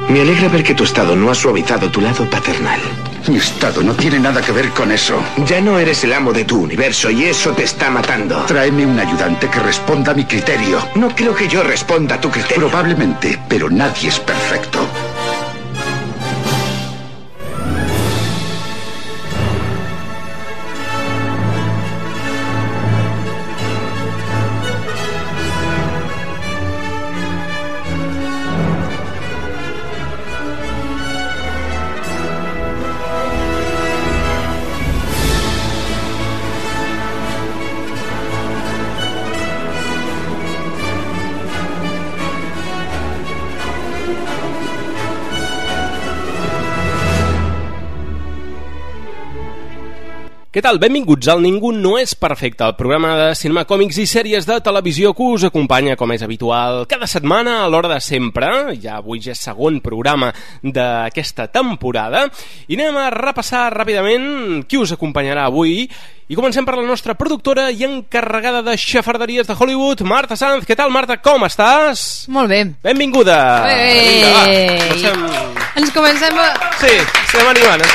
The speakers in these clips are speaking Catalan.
Me alegra ver que tu estado no ha suavizado tu lado paternal. Mi estado no tiene nada que ver con eso. Ya no eres el amo de tu universo y eso te está matando. Tráeme un ayudante que responda a mi criterio. No creo que yo responda a tu criterio. Probablemente, pero nadie es perfecto. Què tal? Benvinguts al Ningú no és perfecte, el programa de cinema, còmics i sèries de televisió que us acompanya, com és habitual, cada setmana a l'hora de sempre. Ja avui ja és segon programa d'aquesta temporada i anem a repassar ràpidament qui us acompanyarà avui. I comencem per la nostra productora i encarregada de xafarderies de Hollywood, Marta Sanz. Què tal, Marta? Com estàs? Molt bé. Benvinguda. Vinga, va, ens comencem a... Sí, estem animant.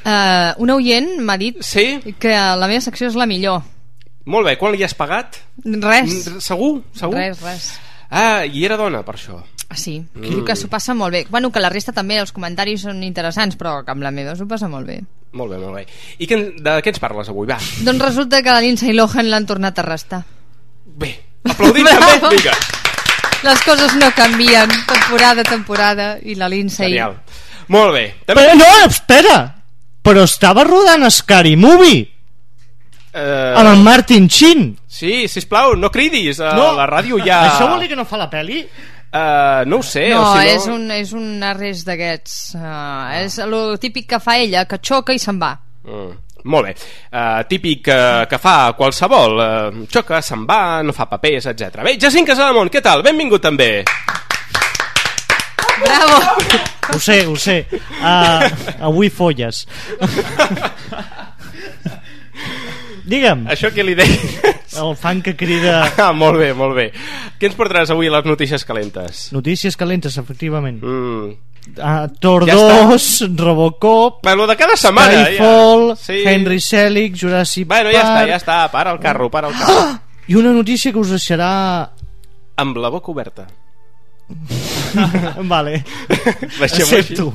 Un oient m'ha dit que la meva secció és la millor. Molt bé, quan li has pagat? Res. Segur? Res. Ah, i era dona per això. Sí, diu que s'ho passa molt bé. Bueno, que la resta també, els comentaris són interessants, però que amb la meva s'ho passa molt bé. Molt bé. I de què ens parles avui? Va. Doncs resulta que la Lindsay Lohan l'han tornat a arrestar. Bé, aplaudim també, vinga. Les coses no canvien, temporada, i la Lindsay... Genial. Molt bé. Però no, espera! Però estava rodant Scary Movie amb en Martin Sheen. Sí, sisplau, no cridis a la ràdio ja. Això vol dir que no fa la pel·li? No ho sé. No, és un arrest d'aquests. És el típic que fa ella, que xoca i se'n va. Molt bé. Típic que fa qualsevol. Xoca, se'n va, no fa papers, etc. Bé, Jacint Casademont, què tal? Benvingut també. Bravo. Ho sé. Avui folles. Digue'm. Això què li deies? El fan que crida... Molt bé. Què ens portaràs avui a les notícies calentes? Notícies calentes, efectivament. Thor 2, Robocop... Lo de cada setmana. Skyfall, Henry Selick, Jurassic Park... Bueno, ja està. Para el carro. I una notícia que us deixarà... Amb la boca oberta. Vale, accepto.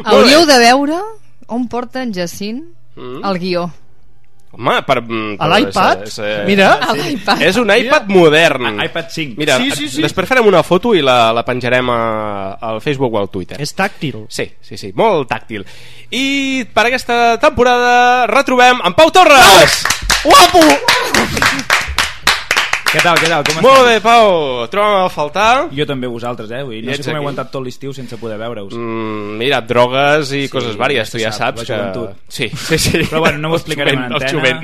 Hauríeu de veure on porta en Jacint el guió. Home, a l'iPad? Mira, és un iPad modern. iPad 5. Mira, sí. Després farem una foto i la penjarem al Facebook o al Twitter. És tàctil. Sí, molt tàctil. I per aquesta temporada retrobem en Pau Torres. Guapo! Què tal, com estàs? Molt bé, Pau, troba'm a faltar. Jo també vosaltres, no sé com he aguantat tot l'estiu sense poder veure-us. Mira, drogues i coses vàries, tu ja saps que... Sí. Però bueno, no ho explicarem en antena.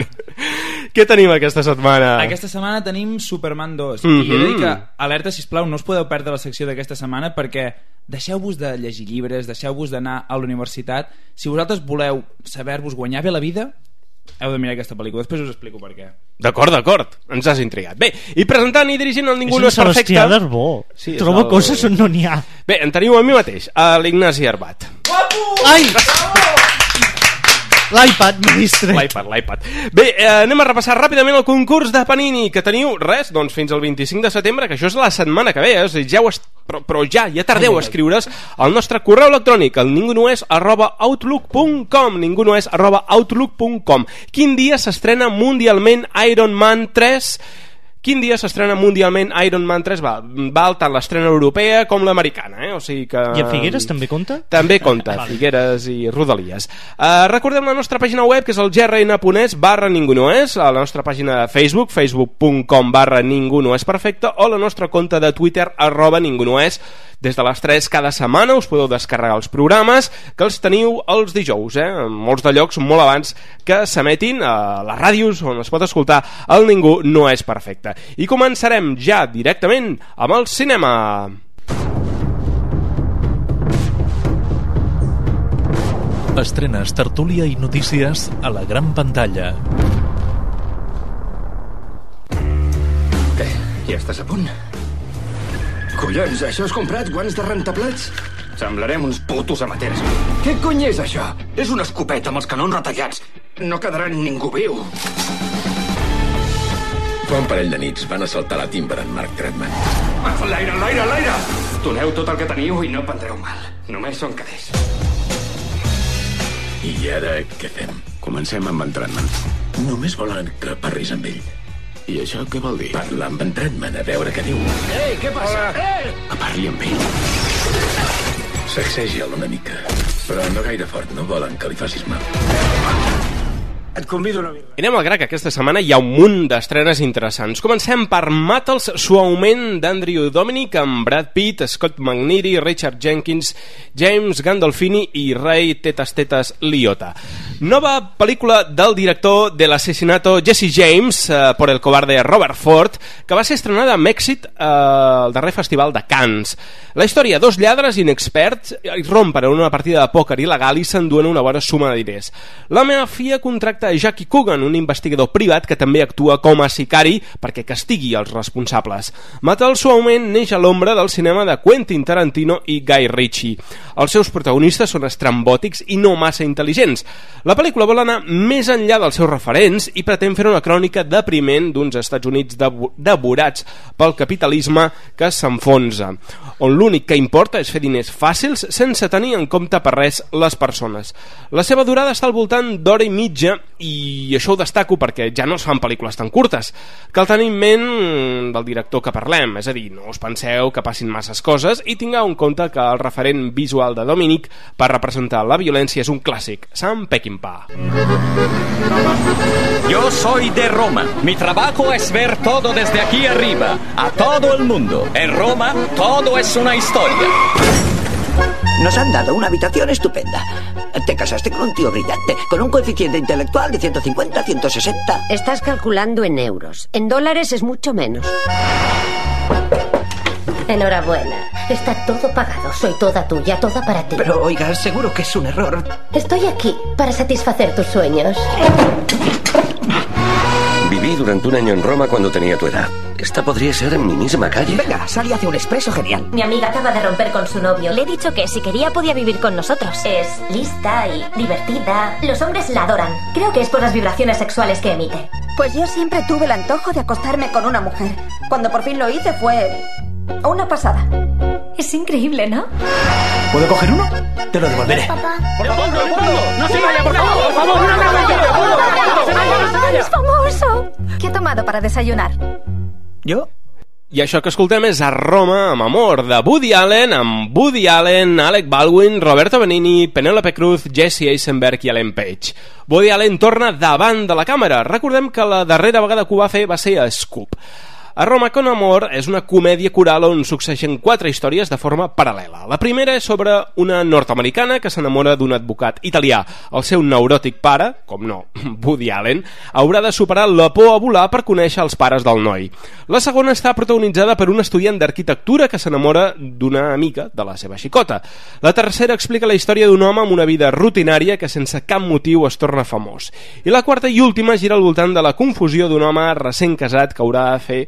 Què tenim aquesta setmana? Aquesta setmana tenim Superman 2 i he de dir que, alerta, sisplau, no us podeu perdre la secció d'aquesta setmana perquè deixeu-vos de llegir llibres, deixeu-vos d'anar a la universitat. Si vosaltres voleu saber-vos guanyar bé la vida, heu de mirar aquesta pel·lícula, després us explico per què. D'acord, ens has intrigat. Bé, i presentant i dirigint el Ningú no és perfecte... És un Sebastià Darbó, trobo coses on no n'hi ha. Bé, en teniu a mi mateix, a l'Ignasi Arbat. Guapo! Ai! L'iPad, ministre. L'iPad. Bé, anem a repassar ràpidament el concurs de Panini, que teniu doncs fins al 25 de setembre, que això és la setmana que ve, però ja tardeu a escriure's al nostre correu electrònic, el ningunoes@outlook.com, ningunoes@outlook.com. Quin dia s'estrena mundialment Iron Man 3? Quin dia s'estrena mundialment Iron Man 3? Val tant l'estrena europea com l'americana, o sigui que... I a Figueres també compta? També compta, Figueres i Rodalies. Recordem la nostra pàgina web, que és el grn.es/ningunoes, a la nostra pàgina de Facebook, facebook.com/ningunoesperfecte, o la nostra compte de Twitter, @ningunoes. Des de les 3 cada setmana us podeu descarregar els programes, que els teniu els dijous, en molts de llocs molt abans que s'emetin a les ràdios on es pot escoltar el Ningú no és perfecte. I començarem ja directament amb el cinema. Estrenes, tertúlia i notícies a la gran pantalla. Què? Ja estàs a punt? Collons, això has comprat guants de rentaplats? Semblarem uns putos amateurs. Què cony és això? És una escopeta amb els canons retallats. No quedarà ningú viu. Fa un parell de nits van assaltar la Timber en Mark Tretman. L'aire! Doneu tot el que teniu i no prendreu mal. Només són caders. I ara què fem? Comencem amb en Tretman. Només volen que parlis amb ell. I això què vol dir? Parla amb en Tretman, a veure què diu. Ei, què passa? Que parli amb ell. Sacsegi'l una mica, però no gaire fort, no volen que li facis mal. Et convido una birra. I anem al gra, que aquesta setmana hi ha un munt d'estrenes interessants. Comencem per Mata'ls suaument d'Andrew Dominic amb Brad Pitt, Scott McNeary, Richard Jenkins, James Gandolfini i Ray Tetas Liotta. Nova pel·lícula del director de l'assassinato Jesse James por el cobarde Robert Ford, que va ser estrenada amb èxit al darrer festival de Cannes. La història, dos lladres inexperts rompen en una partida de pòquer il·legal i s'enduen una bona suma de diners. La mafia contracta a Jackie Coogan, un investigador privat que també actua com a sicari perquè castigui els responsables. Mata'ls suaument neix a l'ombra del cinema de Quentin Tarantino i Guy Ritchie. Els seus protagonistes són estrambòtics i no massa intel·ligents. La pel·lícula vol anar més enllà dels seus referents i pretén fer una crònica depriment d'uns Estats Units devorats pel capitalisme que s'enfonsa, on l'únic que importa és fer diners fàcils sense tenir en compte per res les persones. La seva durada està al voltant d'hora i mitja i això ho destaco perquè ja no es fan pel·lícules tan curtes. Cal tenir en ment del director que parlem, és a dir, no us penseu que passin masses coses i tingueu en compte que el referent visual de Dominic per representar la violència és un clàssic, Sam Peckinpah. Yo soy de Roma. Mi trabajo es ver todo desde aquí arriba, a todo el mundo. En Roma todo es una historia. Nos han dado una habitación estupenda. Te casaste con un tío brillante, con un coeficiente intelectual de 150, 160... Estás calculando en euros. En dólares es mucho menos. Enhorabuena. Está todo pagado. Soy toda tuya, toda para ti. Pero, oiga, seguro que es un error. Estoy aquí para satisfacer tus sueños. Viví durante un año en Roma cuando tenía tu edad. Esta podría ser en mi misma calle. Venga, sal y hace un expreso genial. Mi amiga acaba de romper con su novio. Le he dicho que si quería podía vivir con nosotros. Es lista y divertida. Los hombres la adoran. Creo que es por las vibraciones sexuales que emite. Pues yo siempre tuve el antojo de acostarme con una mujer. Cuando por fin lo hice fue una pasada. Es increíble, ¿no? ¿Puedo coger uno? Te lo devolveré. Papá. ¡Por favor! ¡No se vaya, por favor! ¡Por favor! ¡Es famoso! ¿Qué ha tomado para desayunar? ¿Yo? I això que escoltem és A Roma amb amor, de Woody Allen, amb Woody Allen, Alec Baldwin, Roberto Benigni, Penélope Cruz, Jesse Eisenberg i Ellen Page. Woody Allen torna davant de la càmera. Recordem que la darrera vegada que ho va fer va ser a Scoop. A Roma con amor és una comèdia coral on succeeixen 4 històries de forma paral·lela. La primera és sobre una nord-americana que s'enamora d'un advocat italià. El seu neuròtic pare, com no, Woody Allen, haurà de superar la por a volar per conèixer els pares del noi. La segona està protagonitzada per un estudiant d'arquitectura que s'enamora d'una amiga de la seva xicota. La tercera explica la història d'un home amb una vida rutinària que sense cap motiu es torna famós. I la quarta i última gira al voltant de la confusió d'un home recent casat que haurà de fer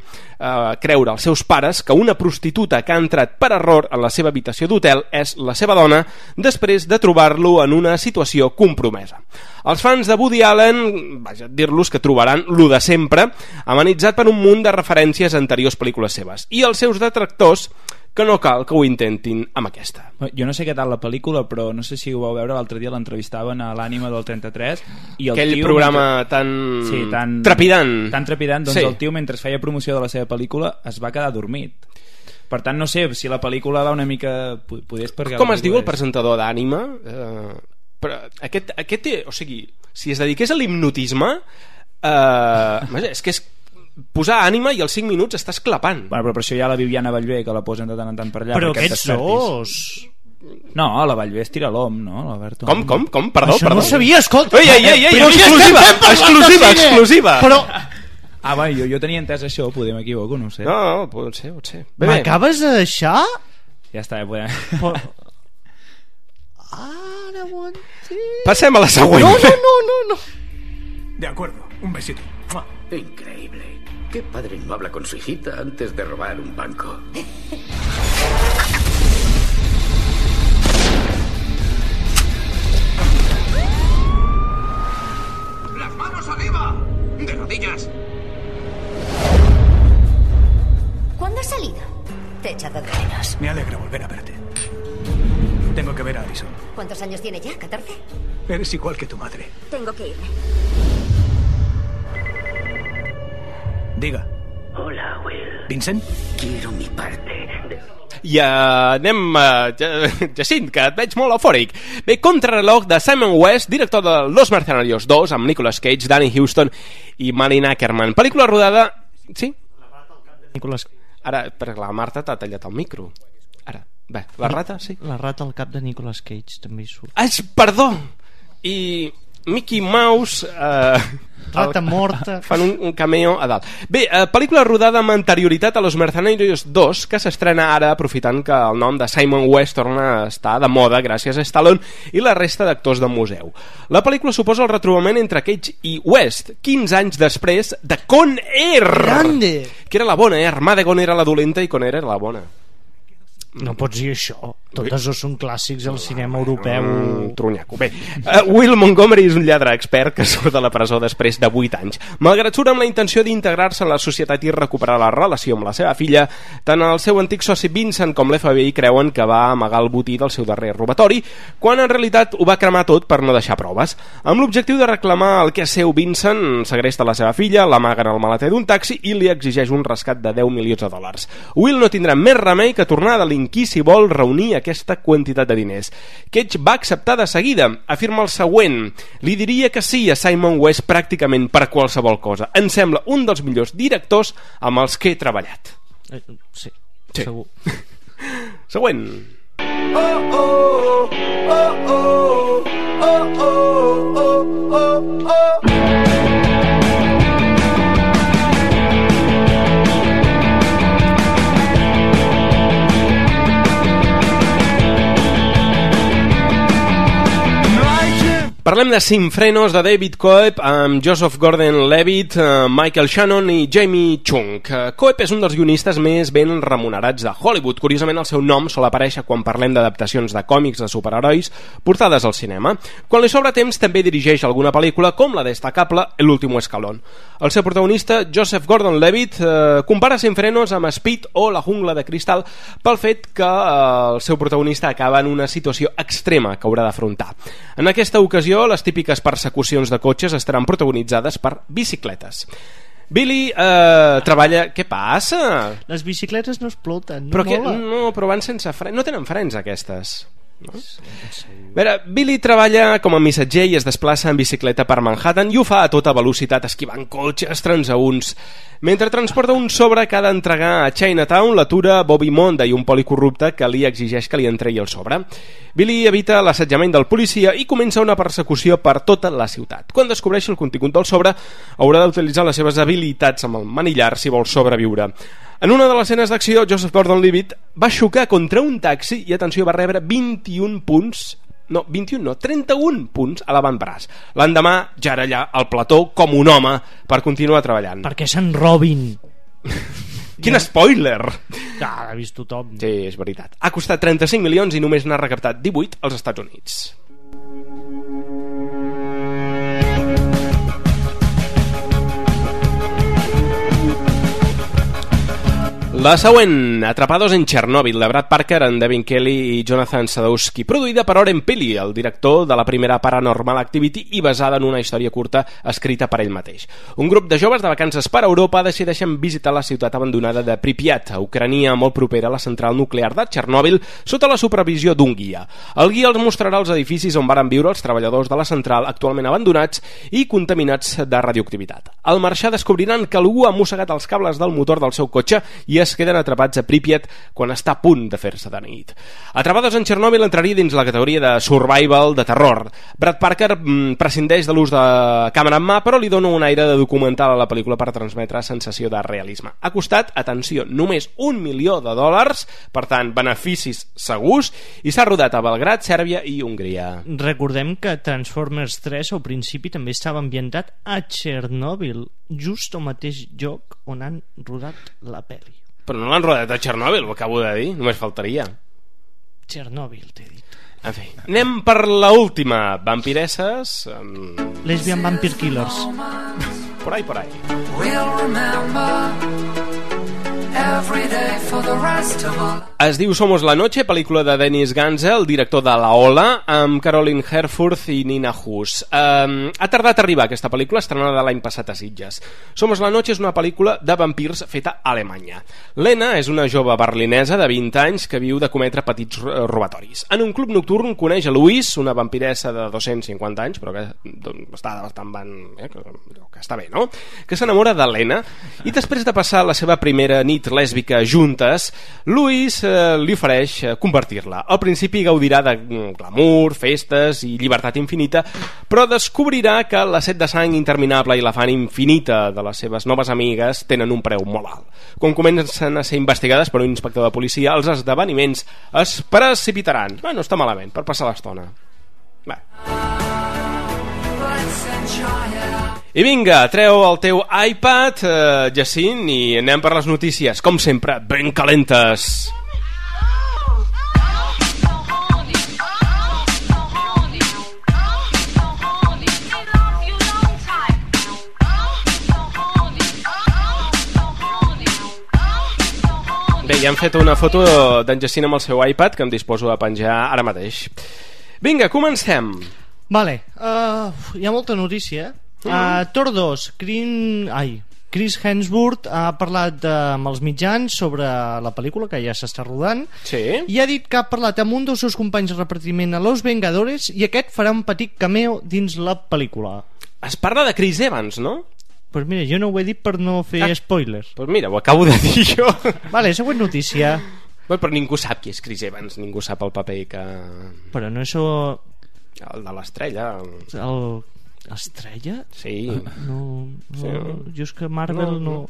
creure als seus pares que una prostituta que ha entrat per error en la seva habitació d'hotel és la seva dona després de trobar-lo en una situació compromesa. Els fans de Woody Allen, vaja, dir-los que trobaran lo de sempre, amenitzat per un munt de referències a anteriors pel·lícules seves, i els seus detractors que no cal que ho intentin amb aquesta. Jo no sé què tal la pel·lícula, però no sé si ho vau veure l'altre dia, l'entrevistaven a l'Ànima del 33 i el aquell tio, programa tan trepidant, doncs sí. El tio mentre feia promoció de la seva pel·lícula es va quedar dormit. Per tant, no sé si la pel·lícula va una mica... Com es diu el presentador d'Ànima? Però aquest, o sigui, si es dediqués a l'hipnotisme és que és posar ànima i als 5 minuts estàs clapant. Bueno, però per això hi ha la Viviana Bellver que la posen de tant en tant per allà. Però aquests dos... No, la Bellver es tira l'om, no? L'Alberto. Com? Perdó. Això no ho sabia, escolta. Ei, exclusiva. Però... va, jo tenia entès això, potser m'equivoco, no ho sé. No, pot ser. M'acabes de deixar? Ja està, podem... Ara ho entenc. Passem a la següent. No. De acuerdo, un besito. Increíble. ¿Qué padre no habla con su hijita antes de robar un banco? ¡Las manos arriba! ¡De rodillas! ¿Cuándo has salido? Te he echado de menos. Me alegra volver a verte. Tengo que ver a Alison. ¿Cuántos años tiene ya? ¿14? Eres igual que tu madre. Tengo que irme. Diga. Hola, Will. Vincent? Quiero mi parte. I anem... Jacint, que et veig molt eufòric. Bé, Contrarreloj de Simon West, director de Los Mercenarios 2, amb Nicolas Cage, Danny Huston i Malin Ackerman. Pel·lícula rodada... Sí? Nicolas... Ara, perquè la Marta t'ha tallat el micro. Ara, bé, la rata, sí. La rata al cap de Nicolas Cage també hi surt. Perdó! I Mickey Mouse... Rata morta. Fan un cameo a dalt. Bé, pel·lícula rodada amb anterioritat a Los Mercenarios 2, que s'estrena ara aprofitant que el nom de Simon West torna a estar de moda gràcies a Stallone i la resta d'actors de museu. La pel·lícula suposa el retrobament entre Cage i West 15 anys després de Con Air! Grande! Que era la bona, Armageddon era la dolenta i Con Air era la bona. No pots dir això. Totes dos són clàssics al cinema europeu. Trunyaco. Bé, Will Montgomery és un lladre expert que surt de la presó després de 8 anys. Malgrat surt amb la intenció d'integrar-se en la societat i recuperar la relació amb la seva filla, tant el seu antic soci Vincent com l'FBI creuen que va amagar el botí del seu darrer robatori, quan en realitat ho va cremar tot per no deixar proves. Amb l'objectiu de reclamar el que és seu, Vincent segresta la seva filla, l'amaga en el maleter d'un taxi i li exigeix un rescat de $10 milions. Will no tindrà més remei que tornar a delinquir si vol reunir aquesta quantitat de diners. Cage va acceptar de seguida. Afirma el següent: li diria que sí a Simon West pràcticament per qualsevol cosa. Em sembla un dels millors directors amb els que he treballat. Sí, segur. Següent. Parlem de Sin Frenos, de David Coeb, amb Joseph Gordon-Levitt, Michael Shannon i Jamie Chung. Coeb és un dels guionistes més ben remunerats de Hollywood. Curiosament, el seu nom sol aparèixer quan parlem d'adaptacions de còmics de superherois portades al cinema. Quan li sobra temps, també dirigeix alguna pel·lícula, com la destacable El último escalón. El seu protagonista, Joseph Gordon-Levitt, compara Sin Frenos amb Speed o La jungla de cristal pel fet que el seu protagonista acaba en una situació extrema que haurà d'afrontar. En aquesta ocasió, les típiques persecucions de cotxes estaran protagonitzades per bicicletes. Billy treballa... Què passa? Les bicicletes no exploten. Però però van sense frens. No tenen frens aquestes. No? A veure, Billy treballa com a missatger i es desplaça en bicicleta per Manhattan i ho fa a tota velocitat, esquivant cotxes transeünts. Mentre transporta un sobre que ha d'entregar a Chinatown, l'atura Bobby Monday, un policorrupte que li exigeix que li entregui el sobre. Billy evita l'assetjament del policia i comença una persecució per tota la ciutat. Quan descobreixi el contingut del sobre, haurà d'utilitzar les seves habilitats amb el manillar si vol sobreviure. En una de les escenes d'acció, Joseph Gordon-Levitt va xocar contra un taxi i, atenció, va rebre 31 punts... No, 21 no, 31 punts a l'avantbraç. L'endemà ja era allà al plató com un home per continuar treballant. Perquè se'n robin. Quin spoiler! Ja, l'ha vist tothom. Sí, és veritat. Ha costat 35 milions i només n'ha recaptat 18 als Estats Units. La següent, Atrapados en Chernobyl, de Brad Parker, en Devin Kelly i Jonathan Sadowski, produïda per Oren Peli, el director de la primera Paranormal Activity i basada en una història curta escrita per ell mateix. Un grup de joves de vacances per Europa decideixen visitar la ciutat abandonada de Pripyat, a Ucrània, molt propera a la central nuclear de Chernobyl, sota la supervisió d'un guia. El guia els mostrarà els edificis on varen viure els treballadors de la central, actualment abandonats i contaminats de radioactivitat. Al marxar descobriran que algú ha mossegat els cables del motor del seu cotxe i es famílies queden atrapats a Pripyat quan està a punt de fer-se de nit. Atrapades en Chernobyl entraria dins la categoria de survival de terror. Brad Parker prescindeix de l'ús de càmera en mà, però li dona un aire de documental a la pel·lícula per transmetre sensació de realisme. Ha costat, atenció, només $1 milió, per tant, beneficis segurs, i s'ha rodat a Belgrad, Sèrbia i Hongria. Recordem que Transformers 3 al principi també estava ambientat a Chernobyl, just al mateix lloc on han rodat la pel·li. Però no l'han rodat a Chernobyl, ho acabo de dir, només faltaria. Chernobyl, t'he dit. En fi, anem per l'última. Vampiresses... Lesbian Vampire Killers. Por ahí, por ahí. We'll remember every day for the rest of our... Es diu Somos la noche, pel·lícula de Dennis Gansel, el director de La Ola, amb Caroline Herfurth i Nina Hus. Ha tardat a arribar aquesta pel·lícula, estrenada l'any passat a Sitges. Somos la noche és una pel·lícula de vampirs feta a Alemanya. Lena és una jove berlinesa de 20 anys que viu de cometre petits robatoris. En un club nocturn coneix a Louise, una vampiressa de 250 anys, però que està bastant que està bé, no? Que s'enamora de Lena, i després de passar la seva primera nit lèsbica juntes, Louise li ofereix convertir-la. Al principi gaudirà de glamour, festes i llibertat infinita, però descobrirà que la set de sang interminable i l'afany infinita de les seves noves amigues tenen un preu molt alt. Quan comencen a ser investigades per un inspector de policia, els esdeveniments es precipitaran. No està malament, per passar l'estona. I vinga, treu el teu iPad, Jacint, i anem per les notícies, com sempre, ben calentes. Bé, ja hem fet una foto d'en Jacint amb el seu iPad que em disposo a penjar ara mateix. Vinga, comencem. Vale, hi ha molta notícia. Thor 2, Chris Hemsworth ha parlat amb els mitjans sobre la pel·lícula que ja s'està rodant, i ha dit que ha parlat amb un dels seus companys de repartiment a Los Vengadores i aquest farà un petit cameo dins la pel·lícula. Es parla de Chris Evans, no? Pues mira, jo no ho he dit per no fer spoilers. Pues mira, ho acabo de dir jo. Vale, següent notícia. Però ningú sap qui és Chris Evans, ningú sap el paper que... Però no és... El de l'estrella. L'estrella? Sí. No, jo és que Marvel no.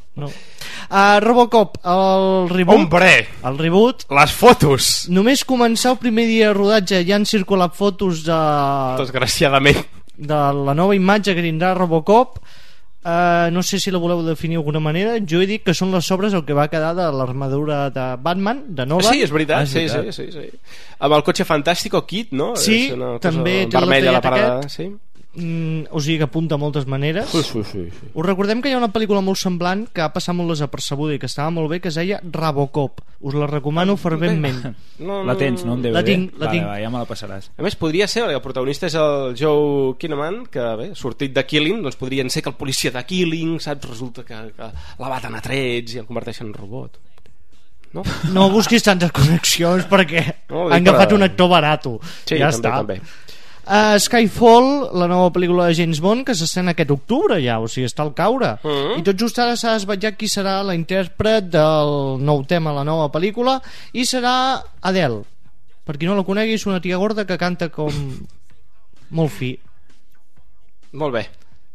Robocop, el reboot. Hombre! El reboot. Les fotos! Només començar el primer dia de rodatge ja han circulat fotos de... Desgraciadament. De la nova imatge que tindrà Robocop. No sé si la voleu definir d'alguna manera. Jo he dit que són les sobres el que va quedar de l'armadura de Batman, de Nolan. Sí, és veritat, sí. Amb el cotxe Fantàstico Kit, no? Sí, també té vermell a la parada, sí. O sigui que apunta de moltes maneres. Sí. Us recordem que hi ha una pel·lícula molt semblant que ha passat molt desapercebuda i que estava molt bé, que es deia Robocop. Us la recomano ferventment. La tens, no? La tinc. Ja me la passaràs. A més, podria ser, perquè el protagonista és el Joe Kinnaman, que bé, sortit de Killing, doncs podrien ser que el policia de Killing, saps? Resulta que la baten a trets i el converteixen en robot. No busquis tantes connexions perquè han agafat un actor barato. Sí, ja també. Skyfall, la nova pel·lícula de James Bond, que s'estrena aquest octubre ja, o sigui, està al caure. I tot just ara s'ha desvetllat qui serà la intèrpret del nou tema a la nova pel·lícula, i serà Adele. Per qui no la conegui, és una tia gorda que canta com molt fi. Molt bé.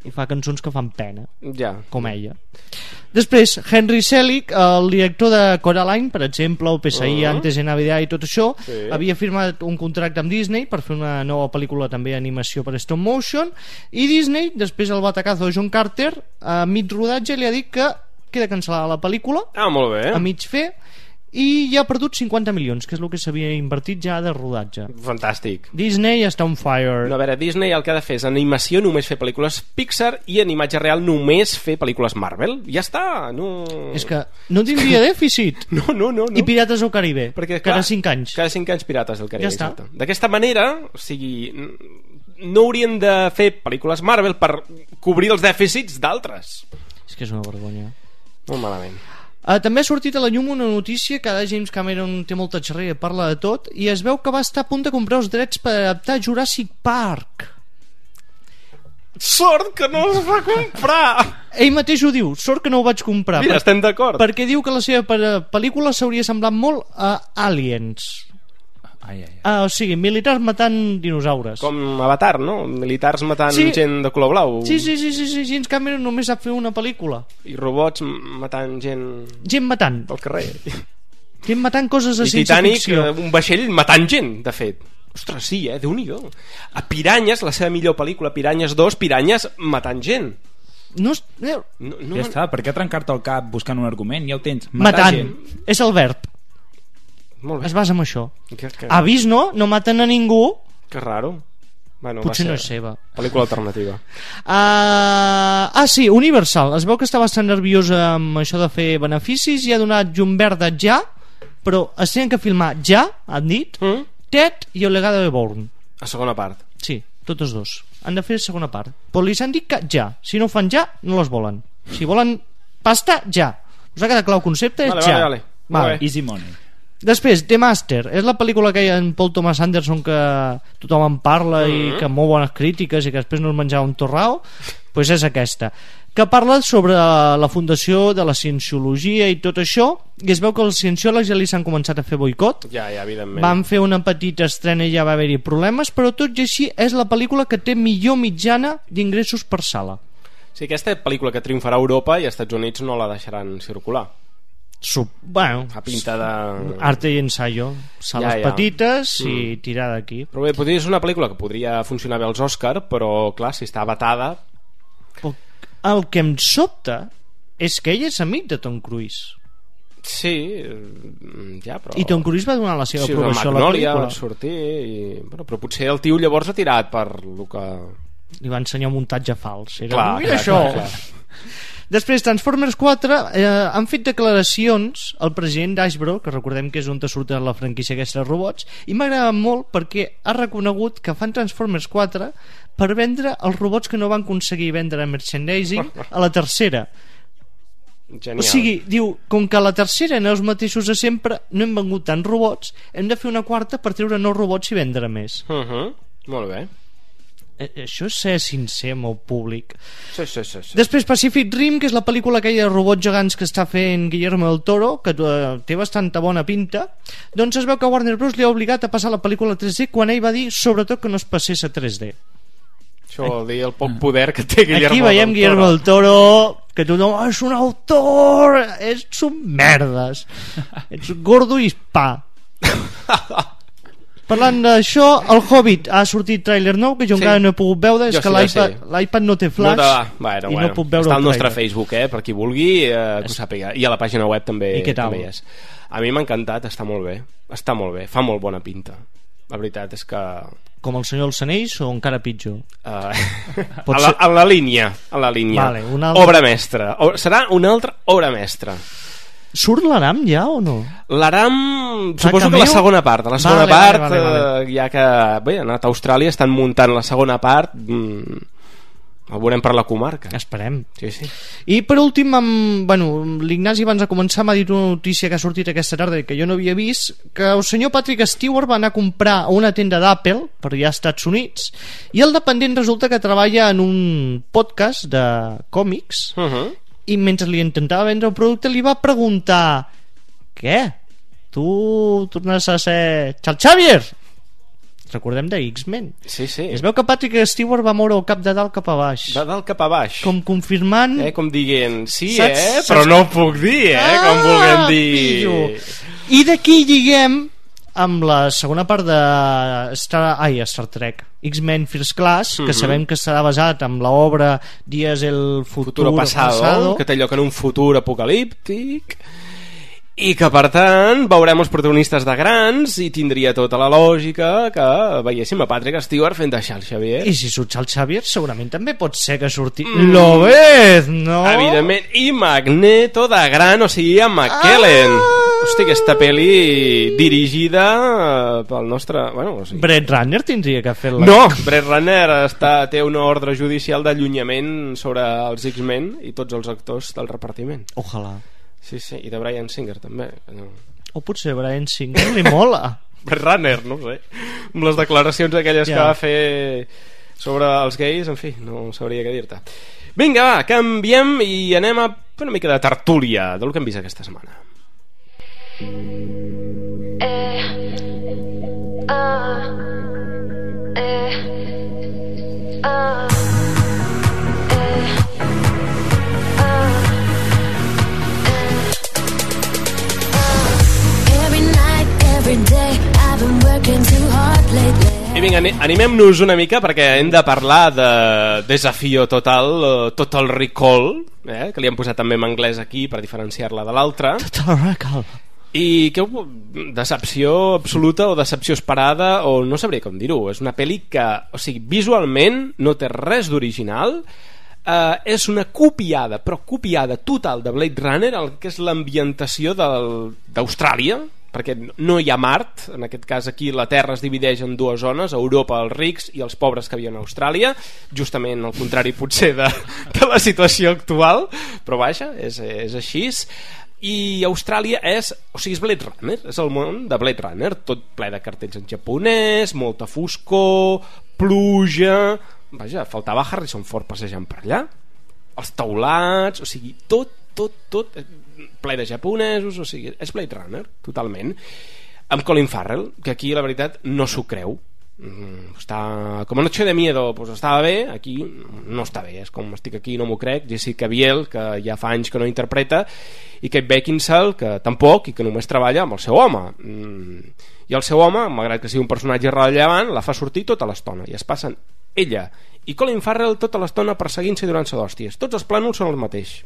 I fa cançons que fan pena, com ella. Després, Henry Selick, el director de Coraline, per exemple, o PSI, Antes de Navidad i tot això, havia firmat un contracte amb Disney per fer una nova pel·lícula també d'animació per stop motion, i Disney, després el batacazo de John Carter, a mig rodatge li ha dit que queda cancel·lada la pel·lícula, molt bé. A mig fer, i ja ha perdut 50 milions, que és el que s'havia invertit ja de rodatge. Fantàstic. Disney està on fire. No, a veure, Disney el que ha de fer és animació només fer pel·lícules Pixar i en imatge real només fer pel·lícules Marvel. Ja està, no... És que no tindria dèficit. No. I Pirates del Caribe, perquè, cada 5 anys. Cada 5 anys Pirates del Caribe. Ja està. D'aquesta manera, o sigui, no haurien de fer pel·lícules Marvel per cobrir els dèficits d'altres. És que és una vergonya. Molt malament. També ha sortit a la llum una notícia que ara James Cameron té molta xerrera i parla de tot, i es veu que va estar a punt de comprar els drets per adaptar Jurassic Park. Sort que no es va comprar. ell mateix ho diu, sort que no ho vaig comprar. Mira, estem d'acord. Perquè diu que la seva pel·lícula s'hauria semblat molt a Aliens. O sigui, militars matant dinosaures. Com Avatar, no? Militars matant gent de color blau. Sí, James Cameron només sap fer una pel·lícula. I robots matant gent... Gent matant. Pel carrer. Gent matant coses de ciència-ficció. I Titanic, un vaixell matant gent, de fet. Ostres, sí, Déu-n'hi-do. A Piranyes, la seva millor pel·lícula, Piranyes 2, Piranyes matant gent. No, ja està, per què trencar-te el cap buscant un argument? Ja ho tens. Matant. És el verb. Es basa en això. Ha vist, no? No maten a ningú. Que raro. Bueno, potser no és seva. Pel·lícula alternativa. Sí, Universal. Es veu que està bastant nerviosa amb això de fer beneficis i ha donat llum verda ja, però es tenen que filmar ja, han dit, Ted i El legado de Bourne. A segona part. Sí, tots dos. Han de fer segona part. Però li han dit que ja. Si no ho fan ja, no les volen. Si volen pasta, ja. Us ha quedat clar el concepte? És ja. Vale. Easy money. Després, The Master, és la pel·lícula que hi ha en Paul Thomas Anderson que tothom en parla i que molt bones crítiques i que després no es menjava un torrao. Pues és aquesta, que parla sobre la fundació de la cienciologia i tot això, i es veu que els cienciòlegs ja li s'han començat a fer boicot. Ja, evidentment. Van fer una petita estrena i ja va haver-hi problemes, però tot i així és la pel·lícula que té millor mitjana d'ingressos per sala. Sí, aquesta pel·lícula que triomfarà a Europa i als Estats Units no la deixaran circular. Bueno, a pinta de... arte i ensayo, sales petites i tirar d'aquí. Però bé, potser és una pel·lícula que podria funcionar bé als Òscar, però clar, si està vetada... El que em sobta és que ell és amic de Tom Cruise. Sí, ja, però... I Tom Cruise va donar la seva aprovació a la pel·lícula. Va sortir bueno, però potser el tio llavors ha tirat per lo que... Li va ensenyar un muntatge fals. Clar, mira això! Clar. Després, Transformers 4 han fet declaracions al president d'Hasbro, que recordem que és on surt la franquícia aquesta de robots, i m'ha agradat molt perquè ha reconegut que fan Transformers 4 per vendre els robots que no van aconseguir vendre a merchandising a la tercera. Genial. O sigui, diu, com que a la tercera eren els mateixos de sempre, no hem vengut tants robots, hem de fer una quarta per treure nous robots i vendre més. Molt bé. Això és ser sincer amb el públic. Sí. Després Pacific Rim, que és la pel·lícula aquella de robots gegants que està fent Guillermo del Toro, que té bastanta bona pinta. Doncs es veu que Warner Bros. Li ha obligat a passar la pel·lícula a 3D quan ell va dir sobretot que no es passés a 3D. Això vol dir el poc poder que té Guillermo del Toro. Aquí veiem Guillermo del Toro, que tothom, és un autor, ets un merdes, ets gordo i pa. Parlant d'això, el Hobbit ha sortit tràiler nou que jo encara no he pogut veure, és que l'iPad no té flash i no puc veure. Està al nostre Facebook, per qui vulgui que ho sàpiga, i a la pàgina web també hi és. A mi m'ha encantat, està molt bé, fa molt bona pinta. La veritat és que... Com el Senyor dels Anells o encara pitjor? A la línia vale, obra mestra, serà una altra obra mestra. Surt l'Aram ja o no? L'Aram, suposo que la segona part. A la segona part, ja que ha anat a Austràlia, estan muntant la segona part, el veurem per la comarca. Esperem. Sí. I per últim, l'Ignasi abans de començar m'ha dit una notícia que ha sortit aquesta tarda que jo no havia vist, que el senyor Patrick Stewart va anar a comprar a una tenda d'Apple per allà als Estats Units, i el dependent resulta que treballa en un podcast de còmics, i mentre li intentava vendre el producte li va preguntar: què? Tu tornes a ser Charles Xavier? Recordem de X-Men. Sí. Es veu que Patrick Stewart va moure el cap de dalt cap a baix. De dalt cap a baix. Com confirmant... Com dient, sí, però no ho puc dir, com vulguem dir. I d'aquí lliguem amb la segona part de Star Trek, X-Men First Class, que sabem que serà basat en l'obra Días el futuro pasado, que té lloc en un futur apocalíptic, i que per tant veurem els protagonistes de grans, i tindria tota la lògica que veiéssim a Patrick Stewart fent de Charles Xavier. I si surt Charles Xavier segurament també pot ser que surti Lobez, no? Evidentment, i Magneto de gran, o sigui, en McKellen. Hosti, aquesta pel·li dirigida pel nostre... Brett Ratner tindria que fer-la. No, Brett Ratner té una ordre judicial d'allunyament sobre els X-Men i tots els actors del repartiment. Ojalà. Sí, i de Bryan Singer també. O potser Bryan Singer li mola. Brett Ratner, no sé, amb les declaracions aquelles que va fer sobre els gais, en fi, no sabria què dir-te. Vinga, va, canviem i anem a fer una mica de tertúlia del que hem vist aquesta setmana. I vinga, animem-nos una mica perquè hem de parlar de Desafío Total, Total Recall, que li han posat també en anglès aquí per diferenciar-la de l'altra. Total Recall. I que decepció absoluta o decepció esperada, o no sabria com dir-ho. És una pel·li que, o sigui, visualment no té res d'original. És una copiada, però copiada total de Blade Runner, el que és l'ambientació d'Austràlia, perquè no hi ha Mart, en aquest cas aquí la Terra es divideix en dues zones, Europa els rics i els pobres que viuen a Austràlia, justament al contrari potser de la situació actual, però vaja, és així. I Austràlia és Blade Runner, és el món de Blade Runner, tot ple de cartells en japonès, molta foscor, pluja, vaja, faltava Harrison Ford passejant per allà, els teulats, o sigui, tot ple de japonesos, o sigui, és Blade Runner, totalment, amb Colin Farrell, que aquí la veritat no s'ho creu. Està com Noche de Miedo, pues estava bé, aquí no està bé, és com estic aquí no m'ho crec. Jessica Biel, que ja fa anys que no interpreta, i Kate Beckinsale, que tampoc, i que només treballa amb el seu home, i el seu home, malgrat que sigui un personatge rellevant, la fa sortir tota l'estona, i es passen ella i Colin Farrell tota l'estona perseguint-se i donant-se d'hòsties. Tots els plànols són el mateix,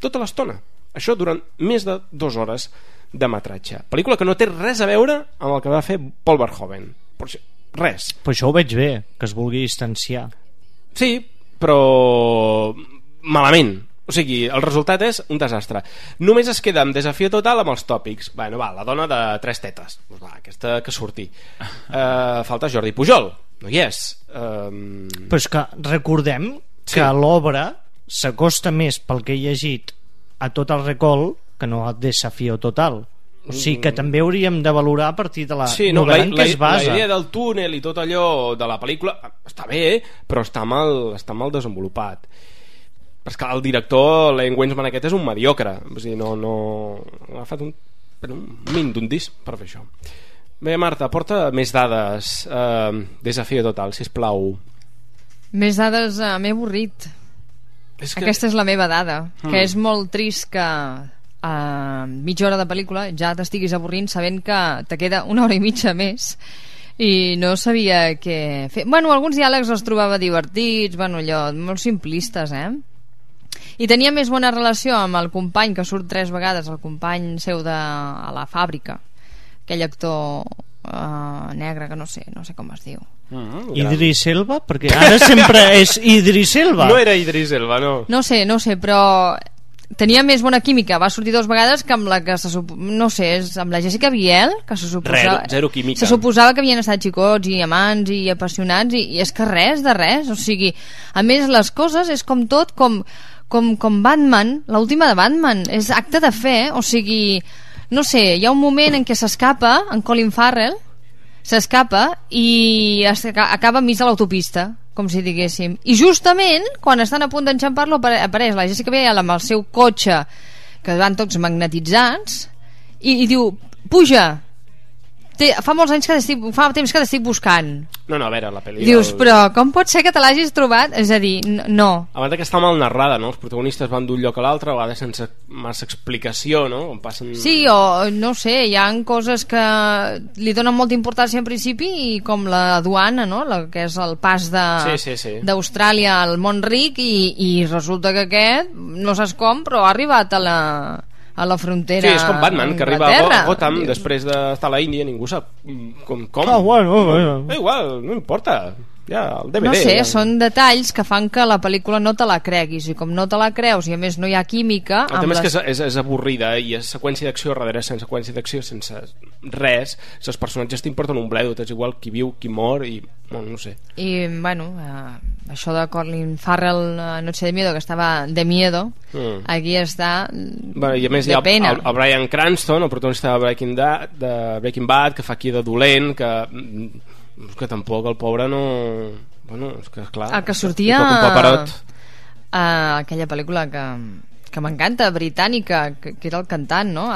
tota l'estona, això durant més de 2 hores de metratge. Pel·lícula que no té res a veure amb el que va fer Paul Verhoeven, res. Però això ho veig bé, que es vulgui distanciar. Sí, però malament. O sigui, el resultat és un desastre. Només es queda amb Desafío Total amb els tòpics. Bueno, va, la dona de 3 tetes, pues va, aquesta que surti. Falta Jordi Pujol, no hi és. Però és que recordem que l'obra s'acosta més pel que he llegit a Total Recall que no a Desafío Total. O sigui que també hauríem de valorar a partir de la novel·la en què es basa. La idea del túnel i tot allò de la pel·lícula està bé, però està mal desenvolupat. Però és que el director, Len Wiseman aquest, és un mediocre. O sigui, no ha agafat un min d'un disc per fer això. Bé, Marta, porta més dades. Desafío Total, sisplau. Més dades, m'he avorrit. Aquesta és la meva dada, que és molt trist que a mitja hora de pel·lícula ja t'estiguis avorrint sabent que te queda 1 hora i mitja més i no sabia què fer. Bueno, alguns diàlegs els trobava divertits, bueno, allò, molt simplistes, i tenia més bona relació amb el company que surt 3 vegades, el company seu a la fàbrica, aquell actor negre que no sé com es diu. Idris Elba? Perquè ara sempre és Idris Elba. No era Idris Elba, no. No sé, però tenia més bona química, va sortir 2 vegades que amb la que no sé, és amb la Jessica Biel, que se suposava zero química. Se suposava que havien estat xicots i amants i apassionats i és que res de res, o sigui, a més les coses és com tot, com Batman, l'última de Batman, és acte de fe, o sigui, no sé, hi ha un moment en què s'escapa en Colin Farrell, s'escapa i acaba enmig de l'autopista, com si diguéssim, i justament quan estan a punt d'enxampar-lo apareix la Jessica Biel amb el seu cotxe que van tots magnetitzats i diu, puja, fa molts anys fa temps que t'estic buscant. No, a veure, la pel·li... Dius, però com pot ser que te l'hagis trobat? És a dir, no. A banda que està mal narrada, no? Els protagonistes van d'un lloc a l'altre, a vegades sense massa explicació, no? On passen... Sí, o no sé, hi ha coses que li donen molta importància en principi i com la duana, no? Que és el pas d'Austràlia al món ric i resulta que aquest, no saps com, però ha arribat a la frontera. Sí, és com Batman, que arriba a Gotham després d'estar a la Índia, ningú sap com. Bueno. Igual, no importa. Ja, el DVD. No sé, són detalls que fan que la pel·lícula no te la creguis, i com no te la creus i a més no hi ha química... El tema és que és avorrida i és seqüència d'acció darrere sense seqüència d'acció, sense res, els personatges t'importen un bledo, és igual qui viu, qui mor i... no sé. I, bueno, això de Colin Farrell Noche de Miedo, que estava de miedo, aquí està i a més de pena. El Bryan Cranston, el protagonista de Breaking Bad, que fa aquí de dolent, que tampoc el pobre no... Bueno, és que clar... El que sortia aquella pel·lícula que m'encanta, britànica, que era el cantant, no?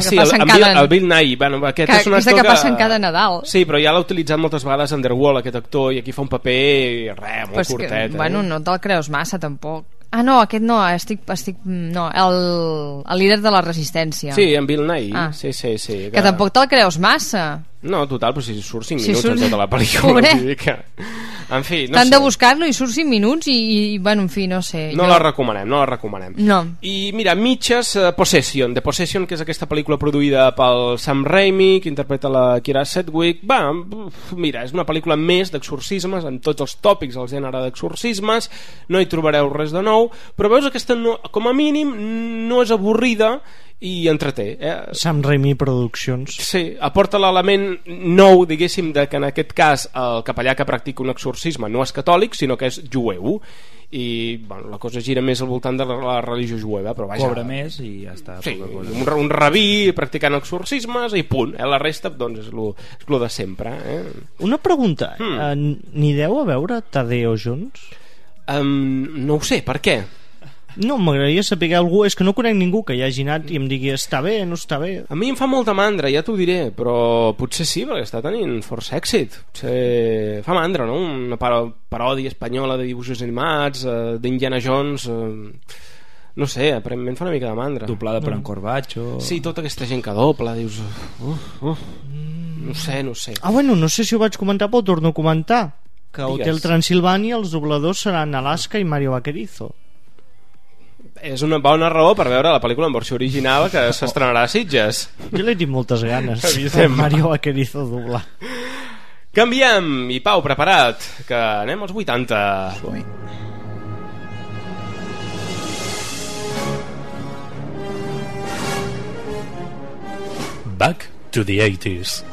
Sí, el Bill Nighy. Bueno, aquesta que passa en cada Nadal. Sí, però ja l'ha utilitzat moltes vegades Underworld, aquest actor, i aquí fa un paper molt curtet. Bueno, no te'l creus massa, tampoc. No, aquest no, no, el líder de la resistència. Sí, en Bill Nighy. Sí. Que tampoc te'l creus massa. No, total, però si surt 5 minuts en tota la pel·lícula. En fi, no sé. T'han de buscar-lo i surt 5 minuts i bueno, en fi, no sé. No la recomanem. No. I mira, mitges, Possession, que és aquesta pel·lícula produïda pel Sam Raimi, que interpreta la Kira Sedgwick. Mira, és una pel·lícula més d'exorcismes, en tots els tòpics del gènere d'exorcismes, no hi trobareu res de nou, però veus aquesta, com a mínim, no és avorrida i entreté. Sam Raimi Productions. Sí, aporta l'element nou, diguéssim, de que en aquest cas el capellà que practica un exorcisme no és catòlic, sinó que és jueu, i bueno, la cosa gira més al voltant de la religió jueva, però vaja, cobra més i ja està. Sí, un rabí practicant exorcismes i punt, la resta doncs és lo de sempre. Una pregunta, n'anireu a veure Tadeo Jones? No ho sé, per què? No, m'agradaria saber algú, és que no conec ningú que hi hagi anat i em digui està bé, no està bé. A mi em fa molta mandra, ja t'ho diré, però potser sí, perquè està tenint força èxit. Fa mandra, no? Una paròdia espanyola de dibuixos animats, d'Indiana Jones, no sé, aparentment fa una mica de mandra. Doblada per en Corbacho. Sí, tota aquesta gent que dobla, dius... No sé. Bueno, no sé si ho vaig comentar, però ho torno a comentar, que a Hotel Transilvània els dobladors seran Alaska i Mario Vaquerizo. És una bona raó per veure la pel·lícula en versió original que s'estrenarà a Sitges. Jo l'he dit moltes ganes Mario Vaquerizo doblar. Canviem, i Pau, preparat, que anem als 80. Back to the 80s.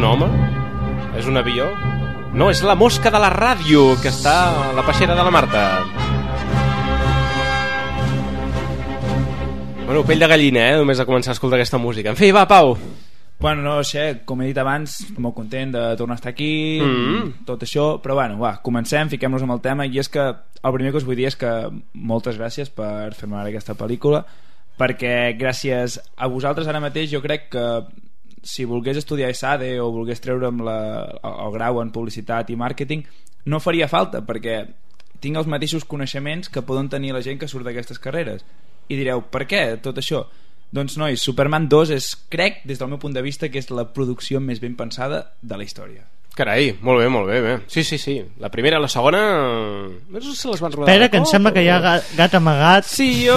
Un home? És un avió? No, és la mosca de la ràdio que està a la peixera de la Marta. Bueno, pell de gallina, només a començar a escoltar aquesta música. En fi, va, Pau. Bueno, no sé, com he dit abans, molt content de tornar a estar aquí, tot això, però bueno, comencem, fiquem-nos amb el tema, i és que el primer que us vull dir és que moltes gràcies per fer-me veure aquesta pel·lícula, perquè gràcies a vosaltres ara mateix jo crec que si volgués estudiar ESADE o volgués treure'm el grau en publicitat i màrqueting, no faria falta, perquè tinc els mateixos coneixements que poden tenir la gent que surt d'aquestes carreres. I direu, per què tot això? Doncs nois, Superman 2 és, crec, des del meu punt de vista, que és la producció més ben pensada de la història. Carai, molt bé. Sí. La primera i la segona... No sé si les van rodar. Espera, que em sembla que hi ha gat amagat. Sí, jo...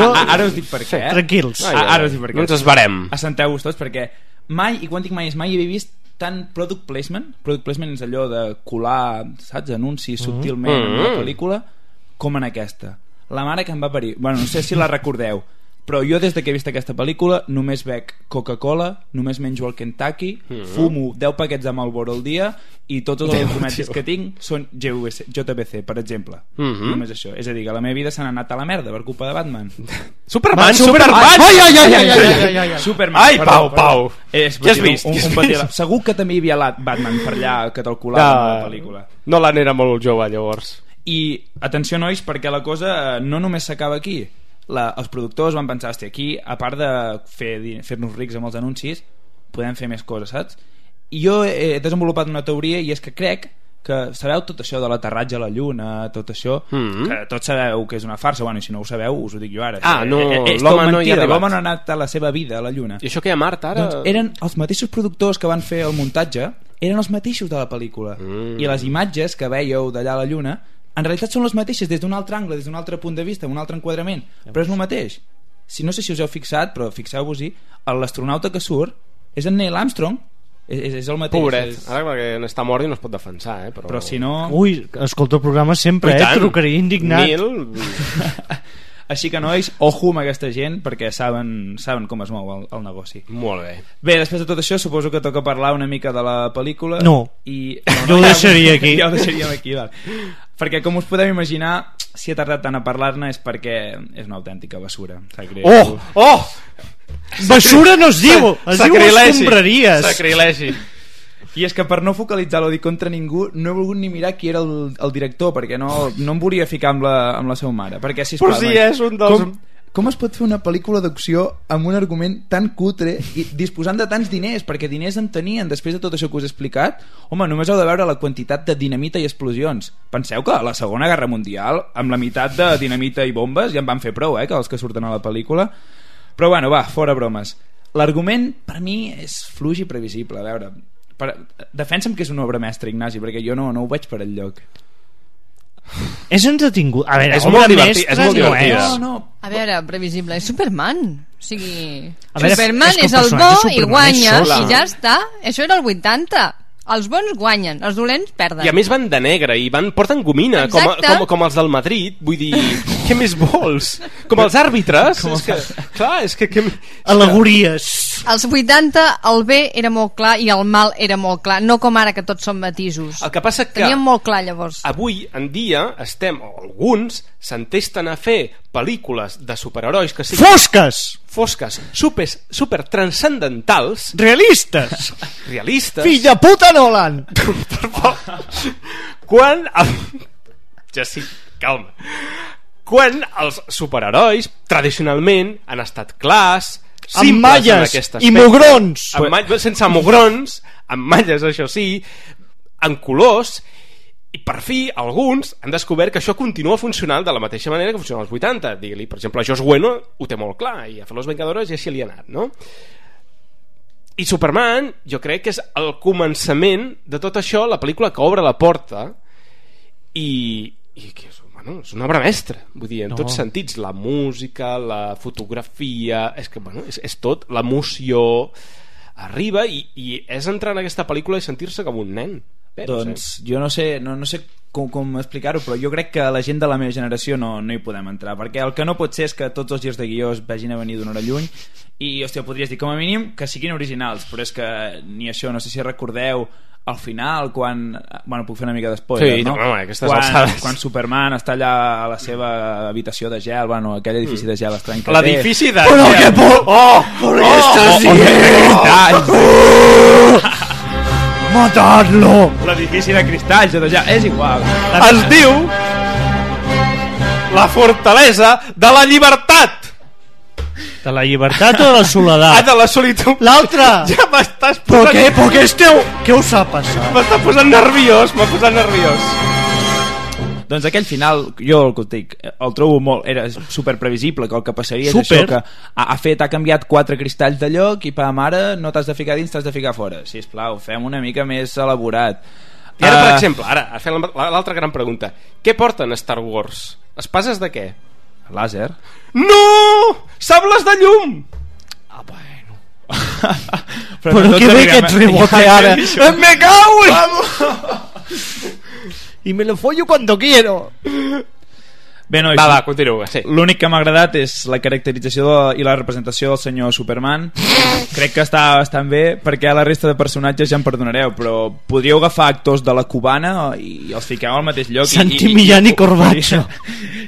Ara us dic per què. Tranquils. Ara us dic per què. No ens esbarem. Assenteu-vos tots, perquè mai, i quan dic mai és mai, he vist tant product placement. Product placement és allò de colar, saps, anuncis subtilment en una pel·lícula, com en aquesta. La mare que em va parir. Bueno, no sé si la recordeu, però jo des que he vist aquesta pel·lícula només bec Coca-Cola, només menjo el Kentucky, fumo 10 paquets de Marlboro al dia i tots els documents que tinc són JVC, per exemple. Només això. És a dir, que la meva vida s'ha anat a la merda per culpa de Batman. Superman! Ai! Superman! Ai, Pau! Què has vist? Segur que també hi havia Batman per allà que te'l colava en la pel·lícula. Nolan era molt jove llavors. I atenció, nois, perquè la cosa no només s'acaba aquí. Els productors van pensar, hòstia, aquí a part de fer-nos rics amb els anuncis podem fer més coses, saps? I jo he desenvolupat una teoria, i és que crec que sabeu tot això de l'aterratge a la Lluna, tot això, que tots sabeu que és una farsa. Bueno, i si no ho sabeu us ho dic jo ara. L'home no hi ha arribat. L'home no ha anat a la seva vida a la Lluna. I això que hi ha Mart ara? Doncs eren els mateixos productors que van fer el muntatge, eren els mateixos de la pel·lícula, i les imatges que veieu d'allà a la Lluna en realitat són les mateixes des d'un altre angle, des d'un altre punt de vista, un altre enquadrament, però és el mateix. No sé si us heu fixat, però fixeu-vos-hi, l'astronauta que surt és en Neil Armstrong, és el mateix. Pobret, ara perquè està mort i no es pot defensar, però si no... Ui, escolta el programa sempre, trucaria indignat. Neil... Així que, nois, ojo amb aquesta gent, perquè saben com es mou el negoci. Molt bé. Bé, després de tot això, suposo que toca parlar una mica de la pel·lícula. No, jo ho deixaria aquí. Ja ho deixaríem aquí, val. Perquè, com us podeu imaginar, si he tardat tant a parlar-ne és perquè és una autèntica basura. Basura no es diu, es diu escombraries. Sacrilegi. I és que per no focalitzar l'odi contra ningú no he volgut ni mirar qui era el director, perquè no em volia ficar amb la seva mare, perquè, sisplau, però si és un dels... Com es pot fer una pel·lícula d'acció amb un argument tan cutre i disposant de tants diners, perquè diners en tenien després de tot això que us he explicat? Home, només heu de veure la quantitat de dinamita i explosions. Penseu que a la Segona Guerra Mundial amb la meitat de dinamita i bombes ja en van fer prou, que els que surten a la pel·lícula. Però bueno, va, fora bromes. L'argument per mi és fluix i previsible. A veure, defensa'm que és una obra mestra, Ignasi, perquè jo no ho veig per enlloc. És entretingut. A veure, és molt divertit. A veure, previsible, és Superman. O sigui, Superman és el bo i guanya, i ja està. Això era el 80. Els bons guanyen, els dolents perden. I a més van de negre i porten gomina, com els del Madrid. Vull dir, què més vols? Com els àrbitres. És que al·legories. Als 80 el bé era molt clar i el mal era molt clar, no com ara que tots són matisos. El que passa que teníem molt clar llavors. Avui en dia alguns s'entesten a fer pel·lícules de superherois que siguin fosques, super transcendentals, realistes. Fill de puta Nolan. Quan ja sí, calma. Quan els superherois tradicionalment han estat clars, amb malles i mugrons, sense mugrons, amb malles, això sí, en colors. I per fi alguns han descobert que això continua funcionant de la mateixa manera que funciona als 80. Digue-li, per exemple, Joss Whedon ho té molt clar, i a fer Los Vengadores ja s'hi li ha anat, no? I Superman jo crec que és el començament de tot això, la pel·lícula que obre la porta, i que és una obra mestra, vull dir, en tots sentits, la música, la fotografia, és tot, l'emoció arriba, i és entrar en aquesta pel·lícula i sentir-se com un nen. Doncs jo no sé com explicar-ho, però jo crec que la gent de la meva generació no hi podem entrar, perquè el que no pot ser és que tots els girs de guió es vagin a venir d'una hora lluny, i hòstia, podries dir com a mínim que siguin originals, però és que ni això. No sé si recordeu al final, quan... Bueno, puc fer una mica d'espoiler, no? Quan Superman està allà a la seva habitació de gel, bueno, aquell edifici de gel estrany que té. L'edifici de gel! Però què por! Què estàs dient? Matar-lo! L'edifici de cristalls de gel, és igual. Es diu la fortalesa de la llibertat. De la llibertat o de la soledat? De la solitud. L'altra! Ja m'estàs posant... Però què esteu... Què us ha passat? M'ha posat nerviós. Doncs aquell final, jo el que dic, el trobo molt... Era super previsible, que el que passaria és això, que ha canviat 4 cristalls de lloc i mare, no t'has de ficar dins, t'has de ficar fora. Sisplau, fem una mica més elaborat. I ara, per exemple, fem l'altra gran pregunta. Què porten a Star Wars? Espases de què? Làser. No! Sables de llum! Bueno. Però què ve aquest rebote ara? ¡Me cago! Y me lo follo cuando quiero. Bé, nois, continua, sí. L'únic que m'ha agradat és la caracterització i la representació del senyor Superman. Crec que està bastant bé, perquè la resta de personatges ja em perdonareu, però podríeu agafar actors de la cubana i els fiqueu al mateix lloc. Santi Millán i Corbacho.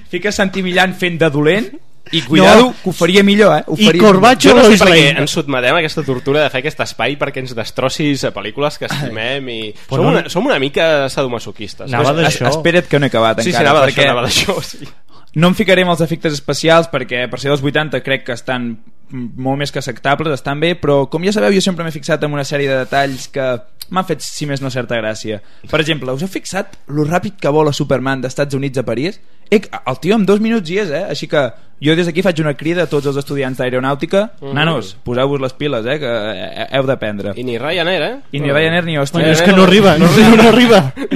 Fiques Santi Millán fent de dolent i cuidado, que ho faria millor, I Corbacho no sé per què ens sotmetem a aquesta tortura de fer aquest espai perquè ens destrossis a pel·lícules que estimem i som una mica sadomasoquistes. Espera't que no he acabat encara. Sí, anava d'això, sí. No em ficaré amb els efectes especials perquè per ser dels 80 crec que estan molt més que acceptables, estan bé, però com ja sabeu jo sempre m'he fixat en una sèrie de detalls que m'han fet, si més no, certa gràcia. Per exemple, us heu fixat lo ràpid que vola Superman d'Estats Units a París? El tio en 2 minuts hi és, Així que jo des d'aquí faig una crida a tots els estudiants d'aeronàutica. Nanos, poseu-vos les piles, que heu d'aprendre. I ni Ryanair, I ni Ryanair ni Ostres. És que no arriba. No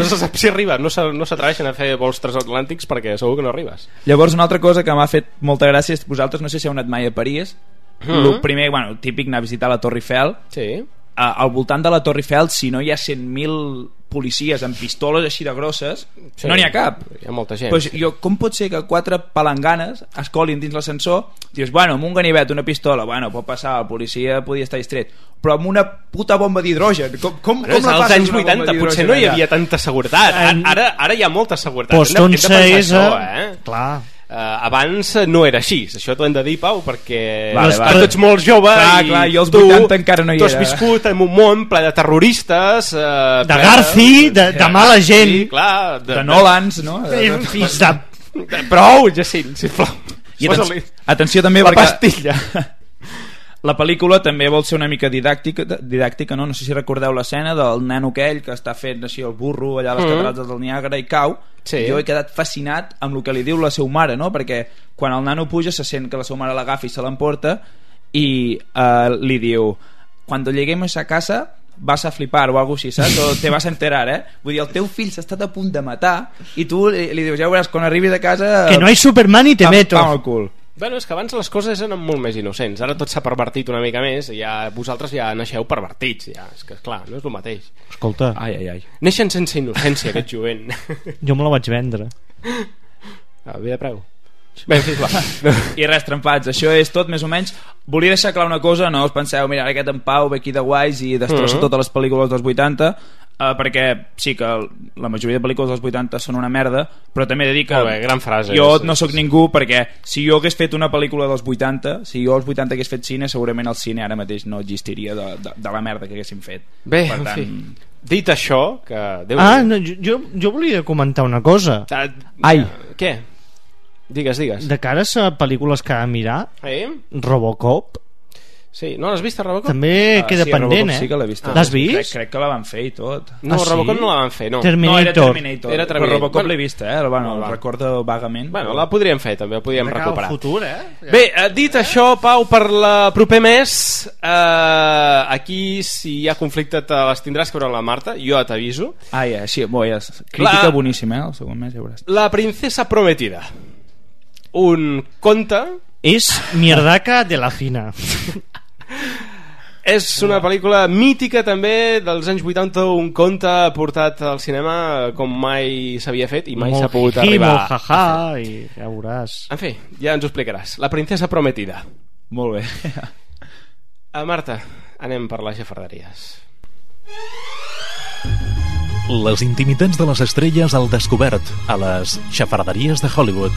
se sap si arriba. No s'atreveixen a fer vols transatlàntics perquè segur que no arribes. Llavors una altra cosa que m'ha fet molta gràcia és vosaltres, no sé si heu anat mai a París. El primer, típic anar a visitar la Torre Eiffel. Sí. Al voltant de la Torre Eiffel, si no hi ha 100.000 policies amb pistoles així de grosses, Sí, no n'hi ha cap. Hi ha molta gent. Pues com pot ser que 4 palanganes es colin dins l'ascensor? Dius, bueno, amb un ganivet, una pistola, bueno, pot passar, el policia podia estar distret, però amb una puta bomba d'hidrogen, com és la als passes anys una bomba 80 d'hidrogen potser no hi allà? havia tanta seguretat. Ara hi ha molta seguretat. Pues Hem de pensar això, clar. Abans no era així, això t'ho hem de dir, Pau, perquè Vale. tu ets molt jove clar, i jo als tu 80 encara no hi tu has era. viscut en un món ple de terroristes, de Garci, de mala gent, sí, clar, de Nolans, no? Fills de... Prou, Jacint, sisplau. I atenció també la perquè pastilla. la pel·lícula també vol ser una mica didàctica, no? No sé si recordeu l'escena del nano aquell que està fent així el burro allà a les catarates del Niàgara i cau. Sí. Jo he quedat fascinat amb el que li diu la seva mare, no? Perquè quan el nano puja se sent que la seva mare l'agafa i se l'emporta i li diu, cuando lleguemos a casa vas a flipar o algo així, saps? O te vas a enterar, Vull dir, el teu fill s'ha estat a punt de matar i tu li dius, ja veuràs, quan arribis a casa... Que no hay Superman i te meto. Pam al cul. Bueno, és que abans les coses eren molt més innocents. Ara tot s'ha pervertit una mica més i ja, vosaltres ja naixeu pervertits. Ja. És que, esclar, no és el mateix. Escolta, ai. Neixen sense innocència, aquest jovent. jo me la vaig vendre. Bé de preu. Bé, sisplau. I res, trempats, això és tot més o menys. Volia deixar clar una cosa, no us penseu, mira, aquest en Pau ve aquí de guais i destrossa totes les pel·lícules dels 80, perquè sí que la majoria de pel·lícules dels 80 són una merda, però també he de dir que bé, gran frase, jo no sóc ningú, perquè si jo hagués fet una pel·lícula dels 80, si jo als 80 hagués fet cine, segurament el cine ara mateix no existiria de la merda que haguéssim fet. Bé, per tant... en fi, dit això que no, jo volia comentar una cosa. Ai, què? Digues. De cara a pel·lícules que ha de mirar, Robocop, sí, no l'has vist a Robocop? també queda sí, pendent, sí que l'he vist. L'has vist? Crec que la van fer i tot. No, Robocop no la van fer, no. Terminator. No, era Terminator. Però Robocop l'he vist, el recordo vagament. Bueno, la podríem fer, també, la podríem recuperar. Futur, Bé, dit això, Pau, per la proper mes, aquí, si hi ha conflicte, te les tindràs que veure la Marta, jo t'aviso. Sí, crítica boníssima, el segon mes ja veuràs. La princesa prometida. Un conte... És Mierdaca de la Fina. És una pel·lícula mítica també dels anys 80, un conte portat al cinema com mai s'havia fet i mai s'ha pogut arribar molt jaja, i ja veuràs. En fi, ja ens ho explicaràs. La princesa prometida. Molt bé. Marta, anem per les xafarderies. Les intimitats de les estrelles al descobert a les xafarderies de Hollywood.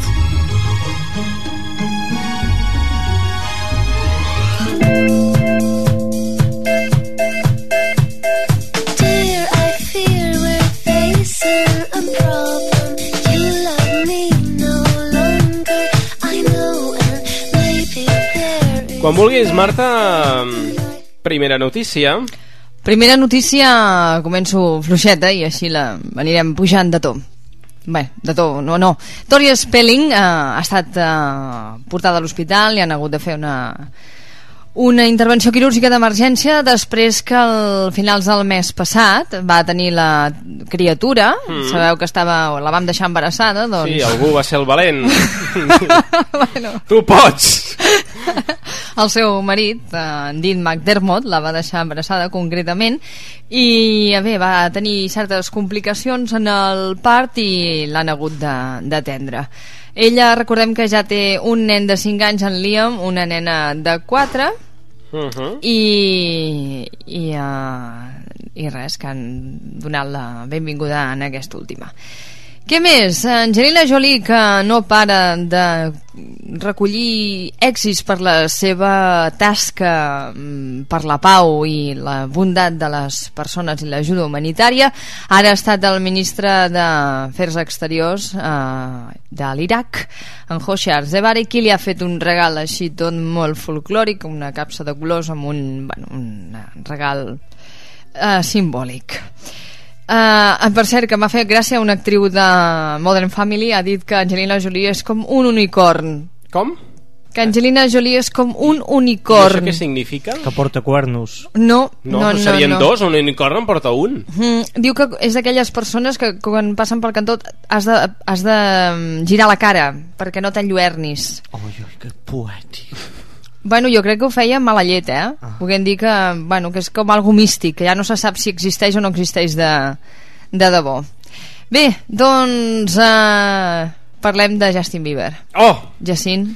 Quan vulguis, Marta, primera notícia. Primera notícia, començo fluixeta i així la anirem pujant de to. Bé, de to, no. Tori Spelling ha estat portada a l'hospital, li han hagut de fer una intervenció quirúrgica d'emergència després que al finals del mes passat va tenir la criatura. Sabeu que la vam deixar embarassada, doncs... Sí, algú va ser el valent. Bueno. Tu pots! El seu marit, en Dean McDermott, la va deixar embarassada concretament i bé, va tenir certes complicacions en el part i l'han hagut d'atendre. Ella, recordem que ja té un nen de 5 anys, en Liam, una nena de 4 i res, que han donat la benvinguda en aquesta última. Què més? Angelina Jolie, que no para de recollir èxits per la seva tasca per la pau i la bondat de les persones i l'ajuda humanitària, ara ha estat el ministre d'Afers Exteriors de l'Iraq, en Hoshyar Zebari, qui li ha fet un regal així tot molt folclòric, una capsa de colors amb un regal simbòlic. Per cert, que m'ha fet gràcia, una actriu de Modern Family ha dit que Angelina Jolie és com un unicorn. Com? Que Angelina Jolie és com un unicorn. I això què significa? Que porta cuernos. No, serien dos, un unicorn en porta un. Diu que és d'aquelles persones que quan passen pel cantó has de girar la cara perquè no t'enlluernis. Que poètic. Bueno, jo crec que ho feia amb mala llet, Podem dir que és com algo místic, que ja no se sap si existeix o no existeix De debò. Bé, doncs parlem de Justin Bieber. Jacint.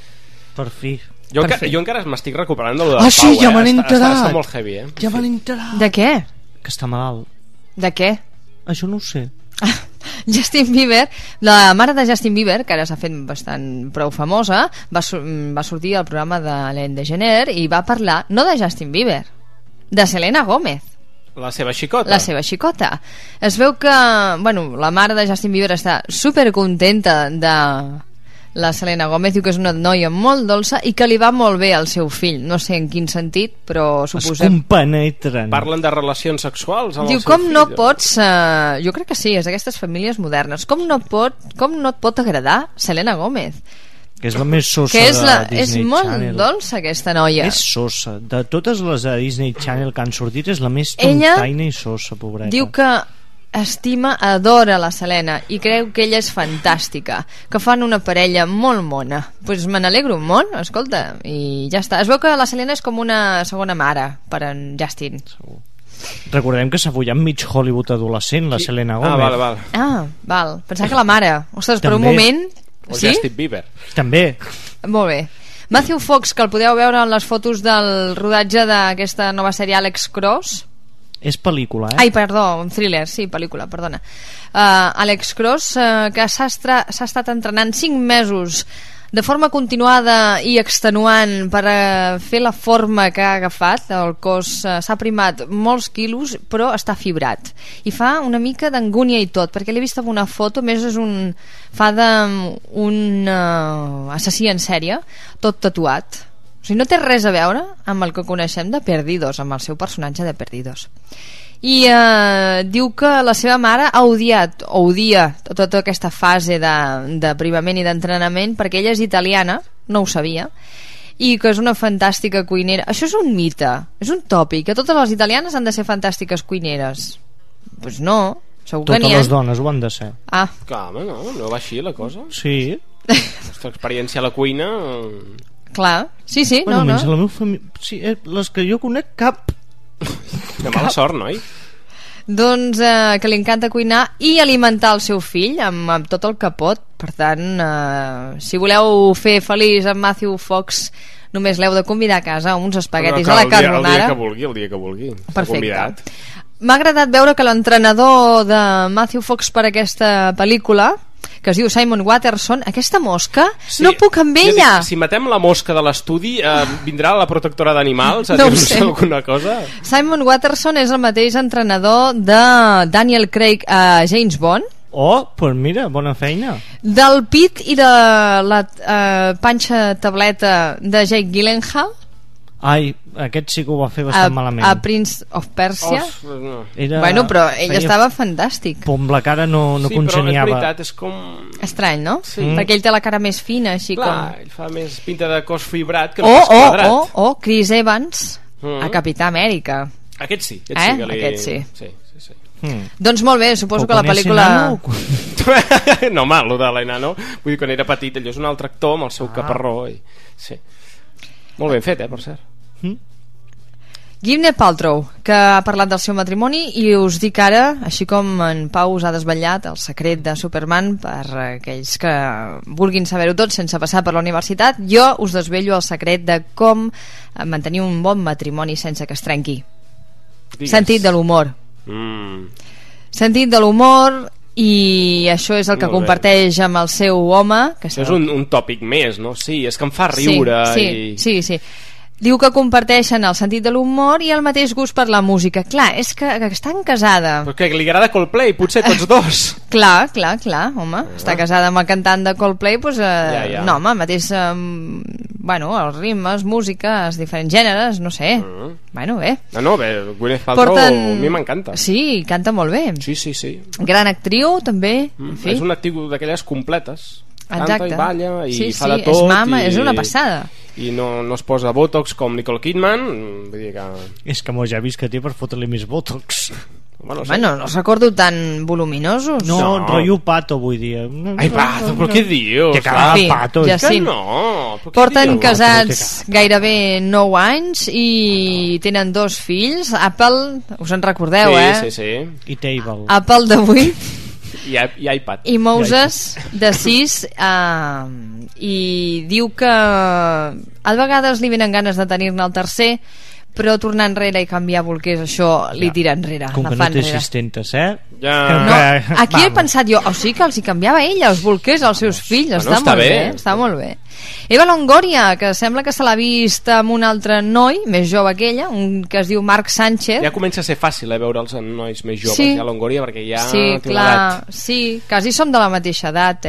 Per fi. Jo encara m'estic recuperant de lo de Pau, sí, ja m'han enterat. Està molt heavy, Ja m'han enterat. De què? Que està malalt. De què? Això no ho sé. Justin Bieber, la mare de Justin Bieber, que ara s'ha fet bastant prou famosa, va sortir al programa de l'Ellen DeGeneres i va parlar, no de Justin Bieber, de Selena Gómez. La seva xicota. La seva xicota. Es veu que, bueno, la mare de Justin Bieber està supercontenta de la Selena Gómez, diu que és una noia molt dolça i que li va molt bé al seu fill. No sé en quin sentit, però suposem... Es compenetren. Parlen de relacions sexuals amb diu, el seu fill. No pots... jo crec que sí, és d'aquestes famílies modernes. Com no et pot agradar Selena Gómez? Que és la més sosa de Disney és molt Channel. dolça aquesta noia. És sosa. De totes les de Disney Channel que han sortit és la més tontaina i sosa, pobreta. Diu que estima, adora la Selena i creu que ella és fantàstica, que fan una parella molt mona. Pues me n'alegro un món, escolta, i ja està. Es veu que la Selena és com una segona mare per en Justin. Recordem que s'ha follat mig Hollywood adolescent, la Selena Gómez. Val. Pensava que la mare. Ostres, per un moment... O sí? Justin Bieber. També. Molt bé. Matthew Fox, que el podeu veure en les fotos del rodatge d'aquesta nova sèrie Alex Cross. És pel·lícula, Ai, perdó, un thriller, sí, pel·lícula, perdona. Alex Cross, que s'ha estat entrenant 5 mesos de forma continuada i extenuant per fer la forma que ha agafat. El cos s'ha primat molts quilos, però està fibrat. I fa una mica d'angúnia i tot, perquè l'he vist en una foto, més és fa d'un assassí en sèrie, tot tatuat. O sigui, no té res a veure amb el que coneixem de Perdidos, amb el seu personatge de Perdidos. I diu que la seva mare odia tota aquesta fase de primament i d'entrenament, perquè ella és italiana, no ho sabia, i que és una fantàstica cuinera. Això és un mite, és un tòpic, que totes les italianes han de ser fantàstiques cuineres. Doncs no, segur que n'hi ha. Totes les dones ho han de ser. Clar, home, no va així la cosa. Sí. La nostra experiència a la cuina... Clar, sí, bueno, no. La meva família... Sí, les que jo conec, cap. De mala sort, noi. Doncs que li encanta cuinar i alimentar el seu fill amb tot el que pot. Per tant, si voleu fer feliç en Matthew Fox, només l'heu de convidar a casa uns espaguetis a la carbonara. El dia que vulgui. Perfecte. M'ha agradat veure que l'entrenador de Matthew Fox per aquesta pel·lícula, que es diu Simon Watterson, aquesta mosca, sí, no puc amb ella. Si matem la mosca de l'estudi, vindrà la protectora d'animals a no dir-nos alguna cosa? Simon Watterson és el mateix entrenador de Daniel Craig a James Bond. Pues mira, bona feina. Del pit i de la panxa tableta de Jake Gyllenhaal. Ai, aquest sí que ho va fer bastant malament. A Prince of Persia. No. Bueno, però ell estava fantàstic. Amb la cara no congeniava. Sí, però és veritat, és com... Estrany, no? Sí. Perquè ell té la cara més fina, així com... Clar, ell fa més pinta de cos fibrat que no pas quadrat. Chris Evans a Capità Amèrica. Aquest sí. Aquest sí. Doncs molt bé, suposo que la pel·lícula... No, home, allò de l'enano, vull dir, quan era petit, allò és un altre actor amb el seu caparró. Sí. Molt ben fet, per cert. Gwyneth Paltrow, que ha parlat del seu matrimoni, i us dic ara, així com en Pau us ha desvetllat el secret de Superman per aquells que vulguin saber-ho tot sense passar per la universitat, jo us desvello el secret de com mantenir un bon matrimoni sense que es trenqui. Sentit de l'humor. Sentit de l'humor, i això és el que comparteix amb el seu home, que és un tòpic més, no? Sí, és que em fa riure. Sí. Diu que comparteixen el sentit de l'humor i el mateix gust per la música. Clar, és que estan casada. Perquè li agrada Coldplay, potser tots dos. Clar, home. Està casada amb el cantant de Coldplay, doncs... No, home, mateix... els ritmes, músiques, diferents gèneres, no sé. Bueno, bé. Bé, Gwyneth Paltrow a mi m'encanta. Sí, canta molt bé. Sí. Gran actriu, també. És una actriu d'aquelles completes. Exacte. Canta i balla i fa de tot. És mama, és una passada. I no es posa botox com Nicole Kidman, vull dir que... És que m'ho ja he vist que té per fotre-li més botox. no els recordo tan voluminosos. No, rotllo Pato, vull dir. Ai, Pato, però què dius? Que cara Pato. Jacint. No. Porten casats gairebé 9 anys i tenen 2 fills. Apple, us en recordeu, Sí. I Table. Apple de 8 i iPad. i Moses de 6, i diu que a vegades li venen ganes de tenir-ne el tercer, però tornar enrere i canviar bolquers, això li tira enrere. Com que no té assistentes, No, aquí he pensat jo, o sigui que els hi canviava ella els bolquers als seus fills. Està molt bé. Eva Longoria, que sembla que se l'ha vist amb un altre noi més jove que ella, un que es diu Marc Sánchez. Ja comença a ser fàcil veure els nois més joves, a Longoria, perquè ja té una edat. Sí, quasi som de la mateixa edat,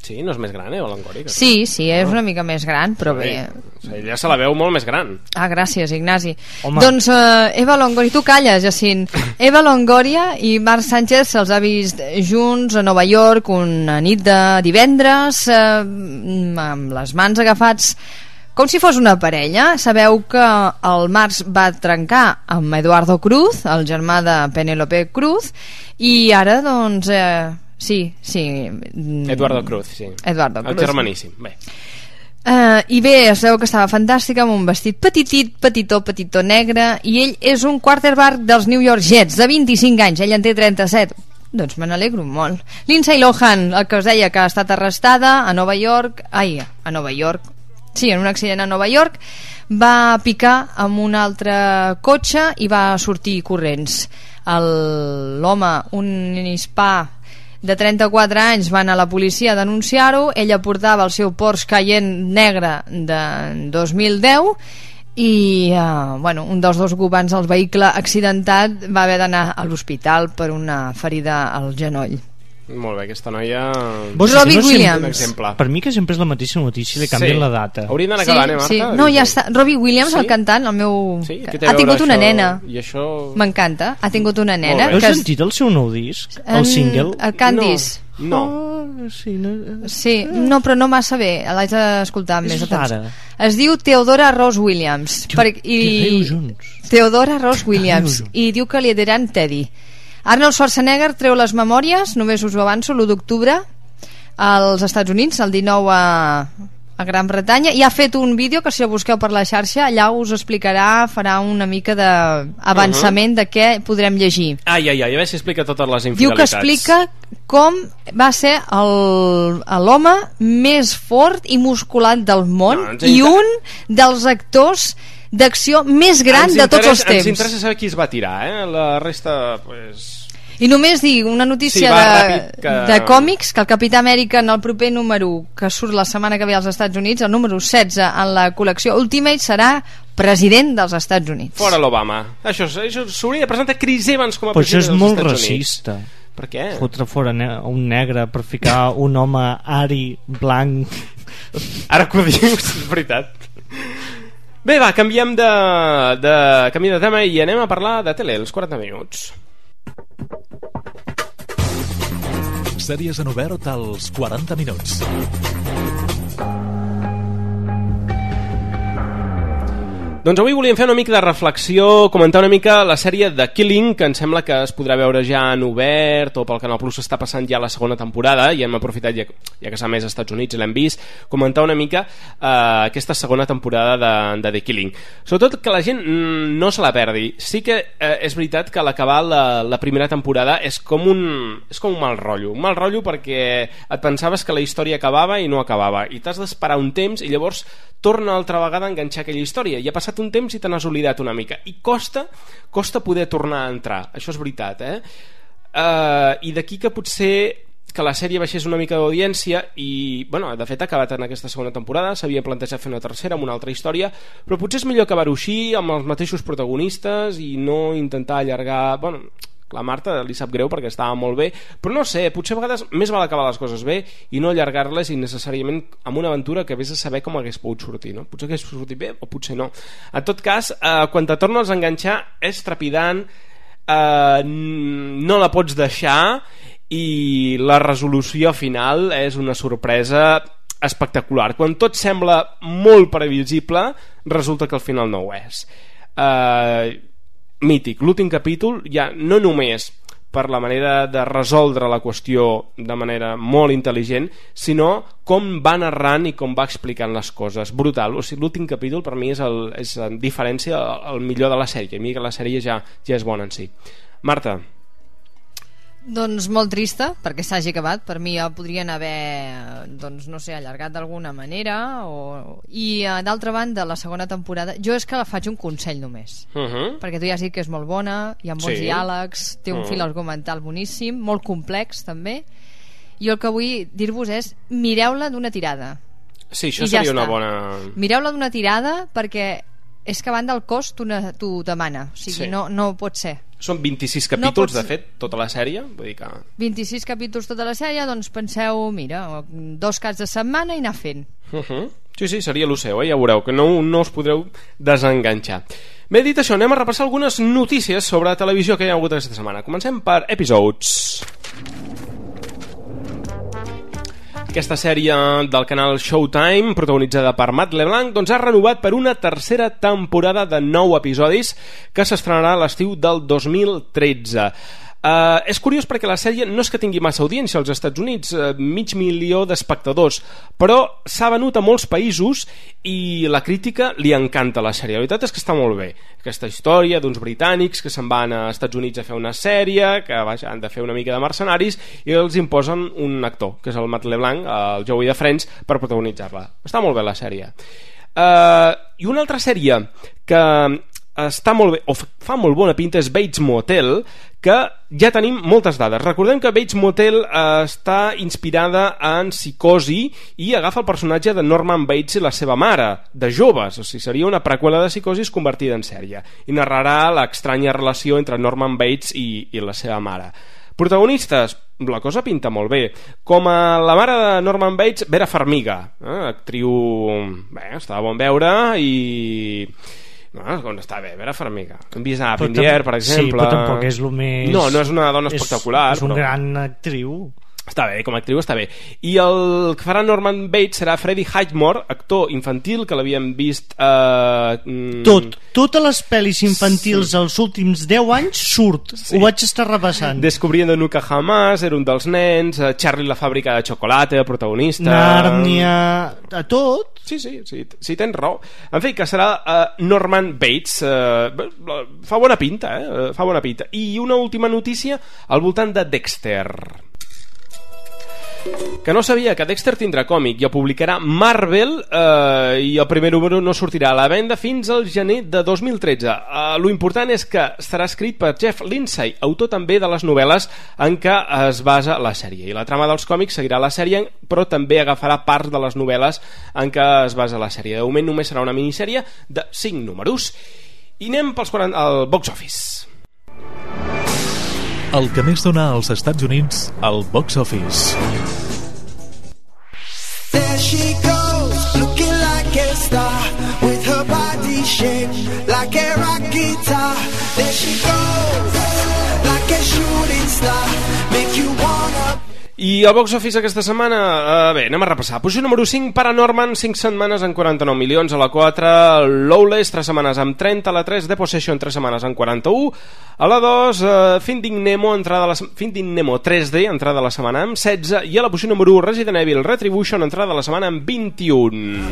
Sí, no és més gran, Longoria? Sí, és una mica més gran, però bé. Ella se la veu molt més gran. Ah, gràcies, Ignasi. Doncs Eva Longoria, tu calles, Jacint. Eva Longoria i Marc Sánchez se'ls ha vist junts a Nova York una nit de divendres, amb les mans agafats com si fos una parella. Sabeu que el Marc va trencar amb Eduardo Cruz, el germà de Penélope Cruz, i ara doncs... Sí. Eduardo Cruz, sí. El germaníssim, bé. I bé, es veu que estava fantàstica, amb un vestit petitó negre, i ell és un quarterback dels New York Jets, de 25 anys, ell en té 37. Doncs me n'alegro molt. Lindsay Lohan, el que us deia que ha estat arrestada a Nova York, sí, en un accident a Nova York, va picar amb un altre cotxe i va sortir corrents. L'home, un hispà de 34 anys, va anar a la policia a denunciar-ho. Ella portava el seu Porsche Cayenne negre de 2010 i un dels 2 ocupants del vehicle accidentat va haver d'anar a l'hospital per una ferida al genoll. Molt bé, aquesta noia... Robbie Williams. Per mi que sempre és la mateixa notícia, li canvien la data. Haurien d'anar acabant, Marta? Sí. No, ja està. Robbie Williams, el cantant, el meu... Ha tingut una nena. I això... M'encanta, ha tingut una nena. Heu sentit el seu nou disc? El single? El Candice. No. Sí, no, però no massa bé. L'haig d'escoltar amb més atenció. Es diu Theodora Ross Williams. Theodora Ross Williams. I diu que li diran Teddy. Arnold Schwarzenegger treu les memòries, només us ho avanço, l'1 d'octubre als Estats Units, el 19 a Gran Bretanya, i ha fet un vídeo que si el busqueu per la xarxa allà us explicarà, farà una mica d'avançament de què podrem llegir. A veure si explica totes les infidelitats. Diu que explica com va ser l'home més fort i musculat del món i un dels actors d'acció més gran de tots els temps. Ens interessa saber qui es va tirar, la resta, pues... I només dic una notícia de còmics, que el Capità Amèrica en el proper número que surt la setmana que ve als Estats Units, el número 16 en la col·lecció Ultimate, serà president dels Estats Units. Fora l'Obama. Això s'hauria de presentar Chris Evans com a president dels Estats Units. Però això és molt racista. Per què? Fotre fora un negre per ficar un home ari, blanc... Ara que ho dius, és veritat. Bé, va, canviem de tema i anem a parlar de tele, els 40 minuts. Sèries en obert als 40 minuts. Doncs avui volíem fer una mica de reflexió, comentar una mica la sèrie The Killing, que em sembla que es podrà veure ja en obert, o pel Canal Plus està passant ja la segona temporada, i hem aprofitat, ja que s'ha més als Estats Units i l'hem vist, comentar una mica aquesta segona temporada de The Killing. Sobretot que la gent no se la perdi. Sí que és veritat que a l'acabar la primera temporada és com un mal rotllo perquè et pensaves que la història acabava i no acabava, i t'has d'esperar un temps i llavors torna altra vegada a enganxar aquella història, i ha passat un temps i te n'has oblidat una mica, i costa poder tornar a entrar, això és veritat, i d'aquí que potser que la sèrie baixés una mica d'audiència, i bueno, de fet ha acabat en aquesta segona temporada, s'havia plantejat fer una tercera amb una altra història, però potser és millor acabar-ho així amb els mateixos protagonistes i no intentar allargar... Bueno, la Marta li sap greu perquè estava molt bé, però no sé, potser a vegades més val acabar les coses bé i no allargar-les innecessàriament amb una aventura que vés a saber com hagués pogut sortir, no? Potser hagués sortit bé o potser no. En tot cas, quan te tornes a enganxar és trepidant, no la pots deixar, i la resolució final és una sorpresa espectacular. Quan tot sembla molt previsible, resulta que al final no ho és. mític. L'últim capítol ja no només per la manera de resoldre la qüestió de manera molt intel·ligent, sinó com va narrant i com va explicant les coses. Brutal. O sigui, l'últim capítol per mi és en diferència el millor de la sèrie. A mi que la sèrie ja és bona en si. Marta. Doncs molt trista perquè s'hagi acabat. Per mi ja podrien haver, doncs no sé, allargat d'alguna manera i d'altra banda la segona temporada, jo és que la faig un consell només, perquè tu ja has dit que és molt bona, hi ha molts diàlegs, té un fil argumental boníssim, molt complex també. Jo el que vull dir-vos és mireu-la d'una tirada. Sí, això seria una bona... Mireu-la d'una tirada perquè és que a banda el cost t'ho demana, o sigui, no pot ser. Són 26 capítols, de fet, tota la sèrie. Vull dir que... 26 capítols tota la sèrie, doncs penseu, mira, 2 caps de setmana i anar fent. Sí, seria el seu, ja veureu, que no us podreu desenganxar. Bé, dit això, anem a repassar algunes notícies sobre televisió que hi ha hagut aquesta setmana. Comencem per Episodes. Aquesta sèrie del canal Showtime, protagonitzada per Matt LeBlanc, doncs ha renovat per una tercera temporada de 9 episodis que s'estrenarà a l'estiu del 2013. És curiós perquè la sèrie no és que tingui massa audiència als Estats Units, 500.000 d'espectadors, però s'ha venut a molts països i la crítica li encanta la sèrie. La veritat és que està molt bé. Aquesta història d'uns britànics que se'n van a Estats Units a fer una sèrie, que han de fer una mica de mercenaris i els imposen un actor, que és el Matt LeBlanc, el Joey de Friends, per protagonitzar-la. Està molt bé la sèrie. I una altra sèrie que està molt bé, o fa molt bona pinta, és Bates Motel, que ja tenim moltes dades. Recordem que Bates Motel està inspirada en Psicosi i agafa el personatge de Norman Bates i la seva mare, de joves, o sigui, seria una preqüela de Psicosi convertida en sèrie, i narrarà l'estranya relació entre Norman Bates i la seva mare. Protagonistes, la cosa pinta molt bé. Com a la mare de Norman Bates, Vera Farmiga, actriu, està de bon veure i... No està bé, Vera Farmiga. Hem vist a Pindier, per exemple. Sí, però tampoc és el més... No és una dona espectacular. És una gran actriu. Està bé, com a actriu està bé. I el que farà Norman Bates serà Freddie Highmore, actor infantil, que l'havíem vist... Totes les pel·lis infantils els últims 10 anys surt. Ho vaig estar repassant. Descubriendo Nunca Jamás, era un dels nens, Charlie la fàbrica de xocolata, protagonista... Nàrnia... a tot. Sí, tens raó. En fi, que serà Norman Bates. Fa bona pinta, fa bona pinta. I una última notícia al voltant de Dexter, que no sabia que Dexter tindrà còmic i el publicarà Marvel, i el primer número no sortirà a la venda fins al gener de 2013. Lo important és que estarà escrit per Jeff Lindsay, autor també de les novel·les en què es basa la sèrie, i la trama dels còmics seguirà la sèrie, però també agafarà parts de les novel·les en què es basa la sèrie. De moment només serà una minissèrie de 5 números. I anem al box office. El que més dona als Estats Units, al box office. There she goes, looking like a star, with her body shaped like a rock guitar. There she goes, like a shooting star, make you wanna... I el box office aquesta setmana, bé, anem a repassar. Posició número 5, Paranorman, 5 setmanes amb 49 milions. A la 4, Lawless, 3 setmanes amb 30. A la 3, The Possession, 3 setmanes amb 41. A la 2, Finding Nemo 3D, entrada de la setmana amb 16. I a la posició número 1, Resident Evil Retribution, entrada de la setmana amb 21.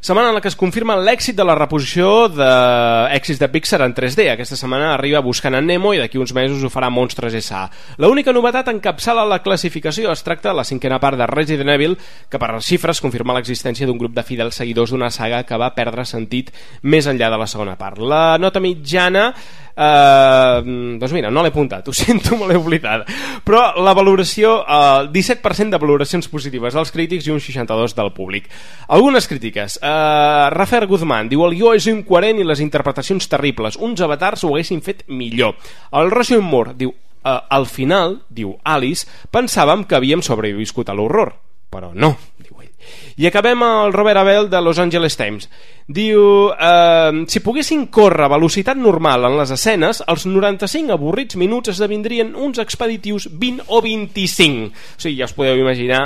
Setmana en la que es confirma l'èxit de la reposició d'èxits de Pixar en 3D. Aquesta setmana arriba Buscant en Nemo i d'aquí uns mesos ho farà Monstres S.A. L'única novetat encapçala la classificació. Es tracta de la 5a part de Resident Evil, que per les xifres confirma l'existència d'un grup de fidels seguidors d'una saga que va perdre sentit més enllà de la segona part. La nota mitjana... doncs mira, no l'he apuntat, ho sento, me l'he oblidat, però la valoració, 17% de valoracions positives dels crítics i un 62% del públic. Algunes crítiques. Rafael Guzmán diu: el guió és incoherent i les interpretacions terribles, uns avatars ho haguessin fet millor. El Roger Moore diu: al final, diu Alice, pensàvem que havíem sobreviscut a l'horror, però no, diu ell. I acabem el Robert Abel de Los Angeles Times. Diu, si poguessin córrer a velocitat normal en les escenes, els 95 avorrits minuts esdevindrien uns expeditius 20 o 25. O sigui, ja us podeu imaginar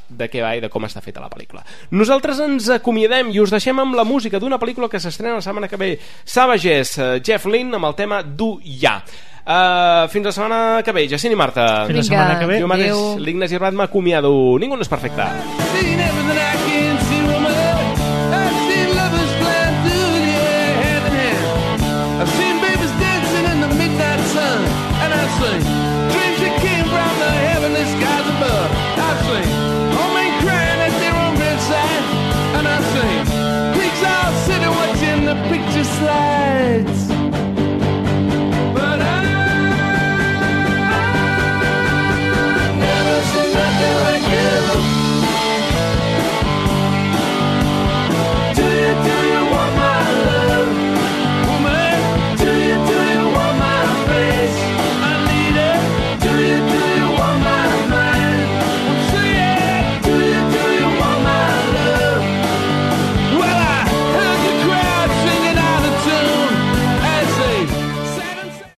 de què va i de com està feta la pel·lícula. Nosaltres ens acomiadem i us deixem amb la música d'una pel·lícula que s'estrena la setmana que ve. Savages, Jeff Lynne amb el tema Du Ya. Fins la setmana que ve, Jacint i Marta. Fins la setmana que ve. Jo mateix, l'Ignasi Arbat, m'acomiado. Ningú no és perfecte.